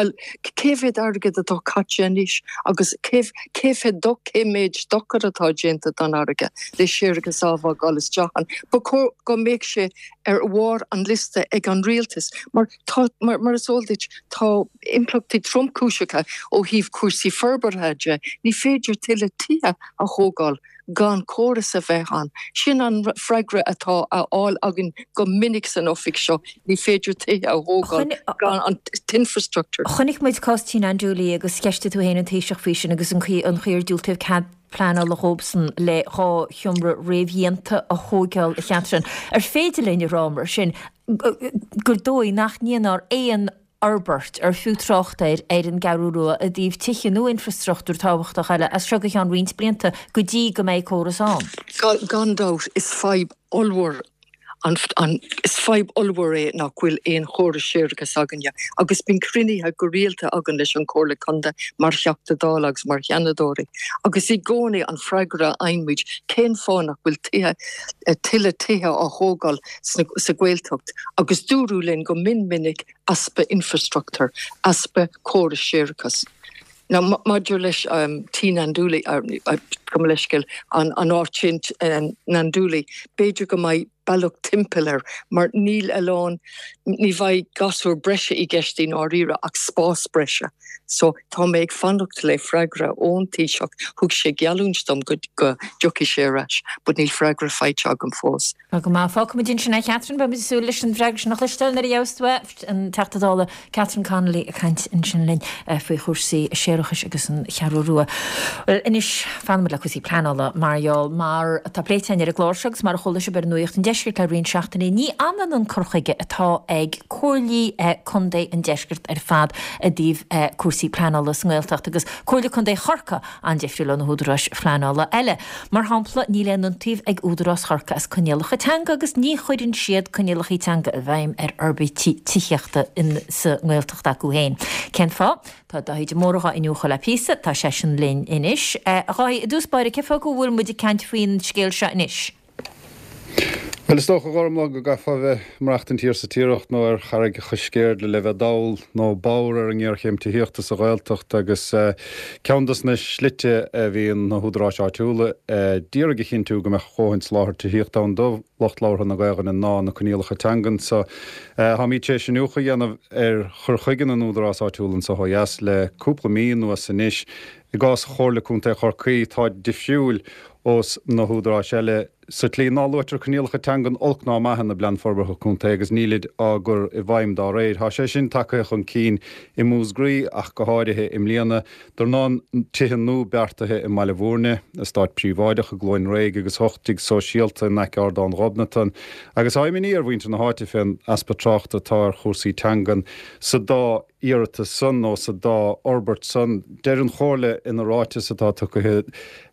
cé mhéad airgead atá caite anois agus cé cé cé méid dochar atá déanta don fharraige le séarachas amh ag dul isteach ann. Ba chóir go mbeadh sé ar bharr an liosta ag an rialtas mar tá, mar is eol duit, tá impleachtaí tromchúiseacha ó thaobh cúrsaí forbartha de. Ní féidir tuilleadh tithe a thógáil. gan córas a bheith ann. Sin an freagra atá á fháil againn go minic san oifig seo, ní féidir tithe a thógáil gan an t-infrastructure.
Chonaic muid cás Tí Nanduli agus cheistigh tú féin an Taoiseach faoi sin agus an chaoi an chaoi ar diúltaíodh cead pleanála dhóibhsan le 2 sheomra réamhdhéanta a thóigeáil a Chatherine. Ar féidir linn a rá mar sin gur dóigh nach ndéanfar aon fhorbairt ar fiú trácht air ar an gCeathrú Rua i dtaobh tithe nó infreastruchtúr tábhachtach eile as seo go ceann roinnt blianta go dtí go mbeidh córas ann.
Gan dabht, is fadhb ollmhór an is fadhb ollmhór é nach bhfuil aon chóras séarachais againne agus bíonn cruinnithe go rialta againn leis an Chomhairle Contae mar Theachta Dála agus mar Sheanadóirí agus i gcónaí an freagra a fhaigheann muid cén fáth nach bhfuil tithe tuilleadh tithe á thógáil sa Ghaeltacht agus dúradh linn go mion minic easpa infrastruchtúir, easpa córais séarachais. Now maidir leis Tí Nanduli, gabh mo leithscéal, an áit sin Nanduli, b'fhéidir go mbeidh. bealach timpeall air mar níl a lán, ní bheidh gasúr breise i gceist i ndáiríre ach spás breise. So tá mé ag fanacht le freagra ón Taoiseach, thug sé geallúint dom go dtiocfaidh sé ar ais but níl freagra faighte agam fós.
Tá go maith. Fágfaimid ansin é, Catherine. Beimid ag súil leis an bhfreagra sin a chloisteáil nuair a gheobhas tú é. An Teachta Dála Catherine Connolly ag caint ansin linn faoi chúrsaí séarachais agus an Cheathrú Rua. Bhuel, anois, fanfaimid le cúrsaí pleanála mar gheall, mar atá pléite againn ar an gclár seo agus mar a chuala sibh ar Nuacht an Deiscirt le roinnt seachtainí, ní ionann an cur chuige atá ag comhairlí contae an deiscirt ar fad i dtaobh cúrsaí pleanála sa nGaeltacht agus Comhairle Contae Chorcaí an-difriúil ó na húdaráis phleanála eile. Mar shampla, níl aon iontaoibh ag Údarás Chorcaí as coinníollacha teanga agus ní chuireann siad coinníollacha teanga i bhfeidhm ar fhorbairtí tithíochta sa nGaeltacht acu féin. Cén fáth? Tá Dáithí de Mórdha dhá iniúchadh le píosa, tá seisean linn anois. A Dháithí, i dtús báire, cén fáth go bhfuil muid ag caint faoin scéal seo anois?
Bhuel, is dócha, a Ghormlaith, go gcaithfeá a bheith ag maireachtaint thiar sa Tiaracht nó ar Charraig Choisceirde le bheith dall nó bodhar ar an ngéarchéim tithíochta sa Ghaeltacht agus ceann dos na slite a bhíonn na húdaráis áitiúla d'iarraidh a chinntiú go mbeadh a dhóthain soláthar tithíochta ann do lucht labhartha na Gaelainne ná na coinníollacha teangan so. Táimid tar éis iniúchadh a dhéanamh ar chur chuige na n-údarás áitiúil anso ó dheas le cúpla mí anuas anois. I gcás Chomhairle Contae Chorcaí, tá difriúil ós na húdaráis eile sa tslí ná luaitear coinníollacha teangan olc ná maith ina bPlean Forbartha Contae agus nílid á gcur i bhfeidhm dá réir. Tá sé sin tagtha chun cinn i Múscraí ach go háirithe i mbliana. Dornán tithe nua beartaithe i mBaile Bhúirne, eastát príobháideach i gCluain Réidh agus 8 dtigh sóisialta in aice Ardán Ghobnatan. Agus tá imní ar mhuintir na háite fén easpa tráchta atá ar chúrsaí teangan sa dá iarratas san nó sa dá fhorbairt san. Deir an Chomhairle ina ráiteas atá tugtha,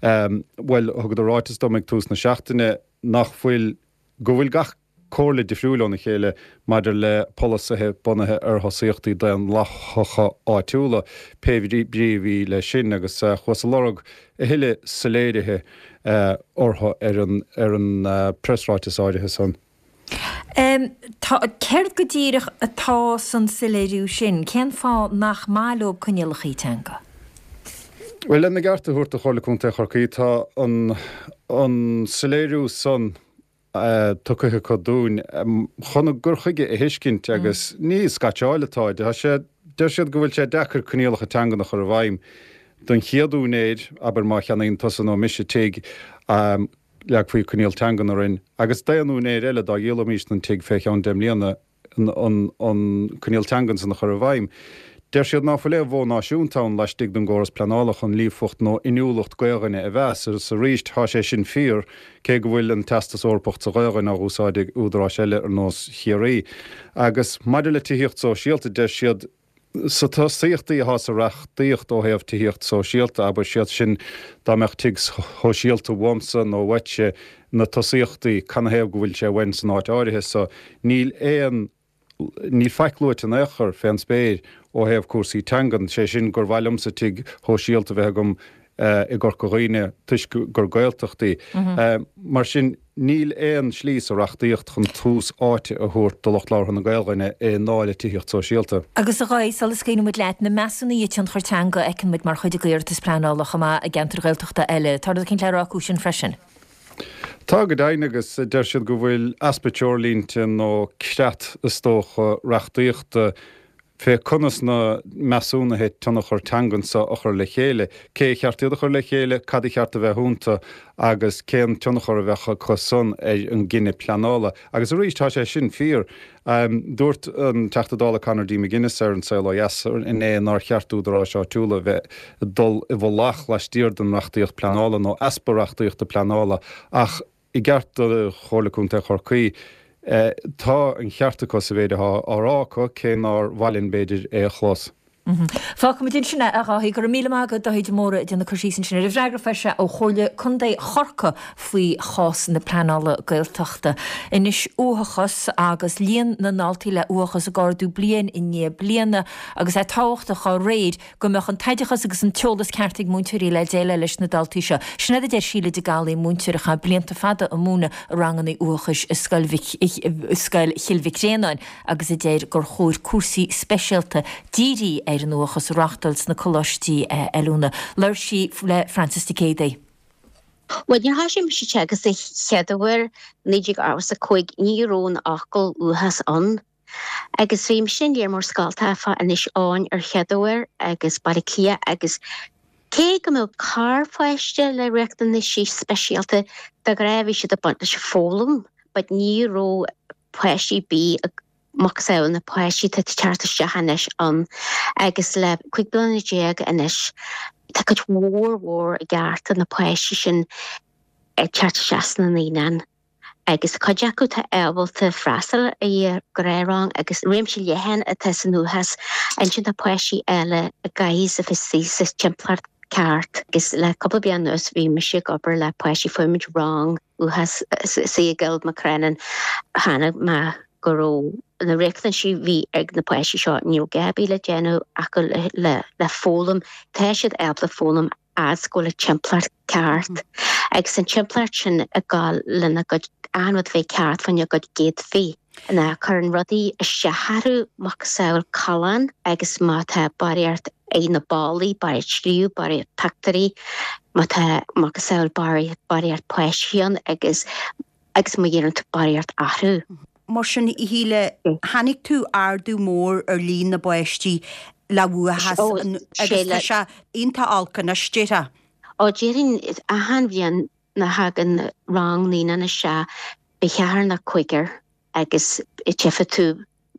bhuel, thugadar ráiteas dom ag tús na seachtaine nach bhfuil, go bhfuil gach comhairle difriúil óna chéile maidir le polasaithe bunaithe ar thosaíochtaí daonlathacha áitiúla, pé brí a bhí leis sin, agus chuas ag lorg a thuilleadh soiléirithe orthu ar an, ar an preasráiteas áirithe san.
Tá, céard go díreach atá san soiléiriú sin? Cén fáth nach maith leo coinníollacha teanga?
Bhuel, lena gceart a thabhairt do Chomhairle Contae Chorcaí, tá an an soiléiriú san tugtha acu dúinn chun a gcur chuige a thuiscint agus ní scaitseáil atá ann. Tá sé, deir siad go bhfuil sé deacair coinníollacha teangan a chur i bhfeidhm don chéad úinéir, abair má cheannaíonn tusa nó mise tigh, Leagfaí coinníoll teangan orainn, agus d'aon úinéir eile dá dhíolfaimis an tigh fé cheann deich mbliana, an coinníoll teangan san a chur i bhfeidhm. Deir siad ná fuil aon mhodh náisiúnta ann laistigh den gcóras pleanála chun líofacht nó inniúlacht Gaelainne a mheas, agus arís tá sé sin fíor, cé go bhfuil an Teastas Eorpach sa Ghaelainn á úsáid ag údaráis eile ar nós Chiarraí. Agus maidir le tithíocht sóisialta, deir siad, Sa tosaíochtaí atá sa reachtaíocht ó thaobh tithíocht sóisialta, abair, siad sin dá mbeadh tigh shóisialta uaimsa nó uaitse, na tosaíochtaí, canathaobh go bhfuil sé uainn san áit áirithe so, níl aon, níl faic luaite in aon chor fén spéir ó thaobh cúrsaí teangan, sé sin gur mhaith liomsa tigh shóisialta a bheith agam i gCorca Dhuibhne toisc gur Gaeltacht í. Mar sin, níl aon slí sa reachtaíocht chun tús áite a thabhairt do lucht labhartha na Gaelainne i ndáil le tithíocht sóisialta.
Agus a Dháithí, sula scaoileann muid leat, na measúnuithe tionchair teanga a fheiceann muid mar chuid d'iarratas pleanála chomh maith i gceantair Ghaeltachta eile, tá rud eicínt le rá acu sin freisin?
Tá go deimhin agus deir siad go bhfuil easpa treoirlínte nó creat is dócha reachtaíochta fé conas na measúnuithe tionchar teangan so a chur le chéile, cé a cheart iad a chur le chéile, cad a cheart a bheith iontu agus cén tionchar a bheadh acu san ar an gcinneadh pleanála. Agus arís, tá sé sin fíor. Dúirt an Teachta Dála Conor D. McGuinness ar An Saol Ó Dheas inné nár cheart d'údaráis áitiúla a bheith ag dul i bhfolach laistiar den reachtaíocht pleanála nó easpa reachtaíochta pleanála ach I gceart do Chomhairle Contae Chorcaí, tá an cheart acu sa mhéid atá á rá acu, cé nár mhaith linn, b'fhéidir, é a chlos.
Fágfaimid ansin é, a Dháithí. Go raibh míle maith agat, Dáithí de Mórdha, ag déanamh cur síos ansin ar an bhfreagra a fuair sé ó Chomhairle Contae Chorcaí faoi chás na pleanála Gaeltachta. Anois, uathachas agus líon na ndaltaí le uathachas ag ardú bliain i ndiaidh bliana agus é tábhachtach dá réir go mbeadh an t-oideachas agus an t-eolas ceart ag múinteoirí le déileáil leis na daltaí seo. Sin é a deir Síle de Gallaí, múinteoir a chaith blianta fada ag múineadh ranganna uathachais i Scoil Scoil Chill Mhic Réanáin agus a deir gur chóir cúrsaí speisialta dírithe ar an uathachas a reáchtáil sna coláistí oiliúna. Labhair sí le Frances Nic Géadaigh.
Bhuel, nuair a thoisigh mise ag teagasc an chéad uair, 1985, ní raibh an fhocal uathachas ann. Agus bhí mise in léar mór scoltacha fá Inis Eoghain ar chéad uair agus Baile Átha Cliath agus cé go mbeadh corrpháiste le riachtanaisí speisialta, de ghnáth bhí siad ag baint leis an foghlaim but ní raibh páistí ar bith ag macasamhail na páistí atá ag teacht isteach anois ann agus le 15 bliana anois tá cuid mhór mhór i gceart de na páistí sin ag teacht isteach sna naíonáin agus cuid acu atá ábalta freastal ar ghnáthrang agus réimse leathan atá san uathachas. Ansin tá páistí eile a gcaithfidh a bheith istigh sa timpeallacht ceart agus le cúpla bliain anuas bhí mise ag obair le páistí, fuair muid rang uathachas istigh i gCill Mhacrennan chonaic mé go raibh na riachtanaisí a bhí ag na páistí seo, ní raibh gá ar bith le déanamh acu le foghlaim, tá siad ábalta foghlaim fhad go bhfuil an timpeallacht ceart agus an timpeallacht sin ag gabháil lena gcuid achan rud a bheith ceart faoina gcuid gcéadfaí. Ná cuireann rudaí isteach orthu macasamhail callán agus má tá barraíocht ag na ballaí, barraíocht scríobh, barraíocht pictiúirí, má tá macasamhail barraíocht páistí ann agus agus má dhéanann tú barraíocht athrú.
Mar sin, a Shíle, chonaic tú ardú mór ar líon na bpáistí le uathachas agus tá sé iontach olc anois, déarfá.
Ó, déarfainn, achan bhliain nuair a thagann rang naíonán isteach, beidh ceathrar nó cúigear agus tchífidh tú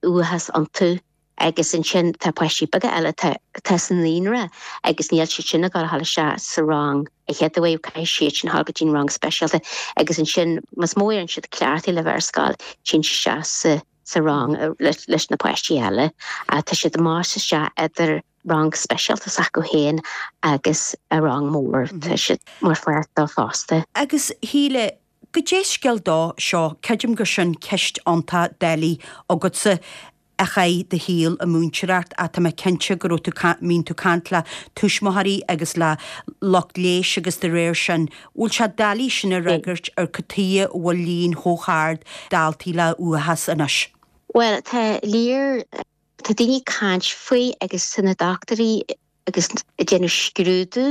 uathachas iontu. Agus ansin tá páistí beaga eile atá sa naíonra agus níl siad sin ag dul a dhul isteach sa rang a chéad uair, caithfidh siad sin a dhul go dtí an rang speisialta agus ansin más mó a éiríonn siad cleachtaithe le bheith ar scoil, téann siad isteach sa rang leis na páistí eile. Tá siad ag máist isteach idir rang speisialta s'acu féin agus a rang mór, tá siad mar pháirt dó fosta.
Agus Shíle, Goidé scéal dó seo, creidim gur sin ceist iontach doiligh agatsa a chaith do shaol ag múinteoireacht ach tá mé cinnte go raibh tú, mbíonn tú caint le tuismitheoirí agus le lucht leighis agus de réir sin, bhfuil sé doiligh sin a fhreagairt ar cad tuighe a bhfuil líon chomh hard daltaí le uathachas anois?
Bhuel, tá léir, tá daoine ag caint faoi agus tá na dochtúirí agus ag déanamh scrúdú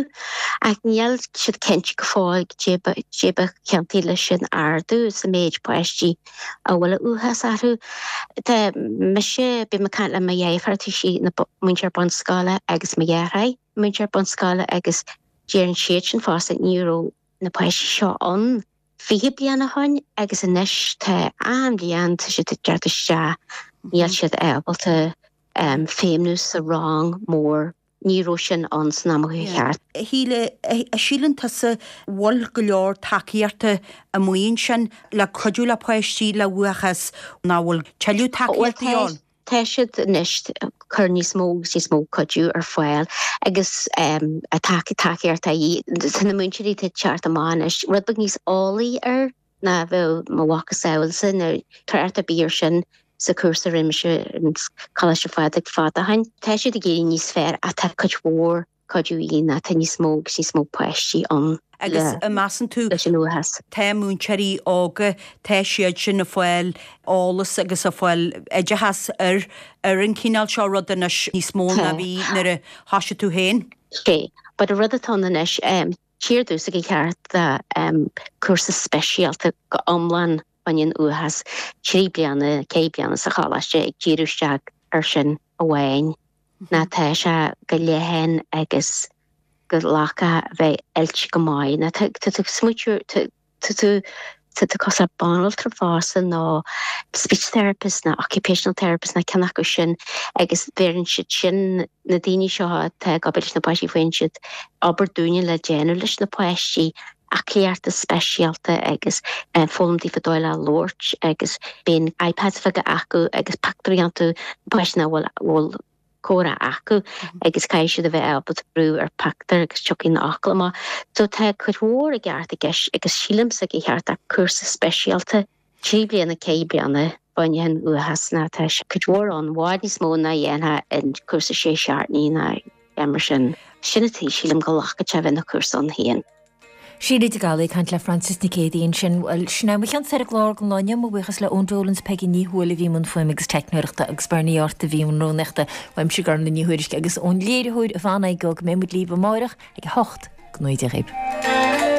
ach níl siad cinnte go fóill goidé ba chiontaí leis an ardú sa méid páistí a bhfuil uathachas orthu. Tá mise, bím ag caint le mo dheirfiúr, tá sí ina múinteoir bunscoile agus mo dheartháir, múinteoir bunscoile agus deireann siad sin fosta ní raibh na páistí seo ann 20 bliain ó shoin agus anois tá achan bhliain tá siad ag teacht isteach níl siad ábalta feidhmiú sa rang mór, ní raibh sin ann san am a chuaigh thart.
A Shíle, a síleann tusa bhfuil go leor tacaíochta amuigh ansin le cuidiú le páistí le uathachas nó bhfuil tuilleadh tacaíochta ann?
Tá siad anois ag cur níos mó agus níos mó cuidiú ar fáil agus tacaíocht a dhíth. Tá na múinteoirí atá ag teacht amach anois rud beag níos eolaí air ná a bheadh mo mhacasamhailsa nó trácht ar bith ar sin sa chúrsa a rinne mise in Coláiste Phádraig fada ó shin. Tá siad ag éirí níos fearr ach tá cuid mhór cuidiú a dhíth ná tá níos mó agus níos mó páistí ann
Agus an measann tú,
leis an uathachas.
tá múinteoirí óga, tá siad sin ag fáil eolas agus ag fáil oideachas ar ar an chineál seo rud anois níos mó ná bhí nuair a thoisigh tú féin?
Sé, but an rud atá ann anois, tír domhsa gur cheart cúrsa speisialta go iomlán fá choinne an uathachas, 3 bliana, 4 bliana sa choláiste ag díriú isteach ar sin amháin. Ná tá sé go leathan agus go nglacfadh a bheith oilte go maith. Ná tá tú ag smaoitiú, tá tú tá tú cosúil le banaltra fosta nó speech therapist nó occupational therapist nó ceann acu sin agus bheireann siad sin, na daoine seo atá ag obair leis na páistí, faigheann siad obair dúinne le déanamh leis na páistí, aclaíochta speisialta agus foghlaim daofa dóigh le labhairt agus bíonn iPads bheaga acu agus pictiúirí iontu na páistí nach bhfuil bhfuil comhrá acu agus caithfidh siad a bheith ábalta brú ar pictiúr agus tiocfaidh na fhocail amach. So tá cuid mhór i gceart i gceist agus sílimse gur cheart cúrsa speisialta 3 bliana, 4 bliana fá choinne an uathachas ná tá cuid mhór ann, i bhfad níos mó ná a dhéanfá in cúrsa sé seachtainí ná mar sin. Sin an tuige sílim go nglacfadh sé a bheith ina cúrsa ann féin.
Síle de Gallaí ag caint le Frances Nic Géadaigh ansin. Bhuel, sin é mo chionn-sa ar an gclár don lá inniu. Mo bhuíochas le Eoin Dolan is Peigí Ní Thuathail a bhí i mbun fuaime agus teicneoireachta agus Bernie Art a bhí i mbun rúnaíochta. Uaimse Gormlaith Ní Thuairisg agus ón léiritheoir Yvonne Igoe go mbeidh muid libh amárach ag a 8. Go ngnóthaí Dia dhaoibh.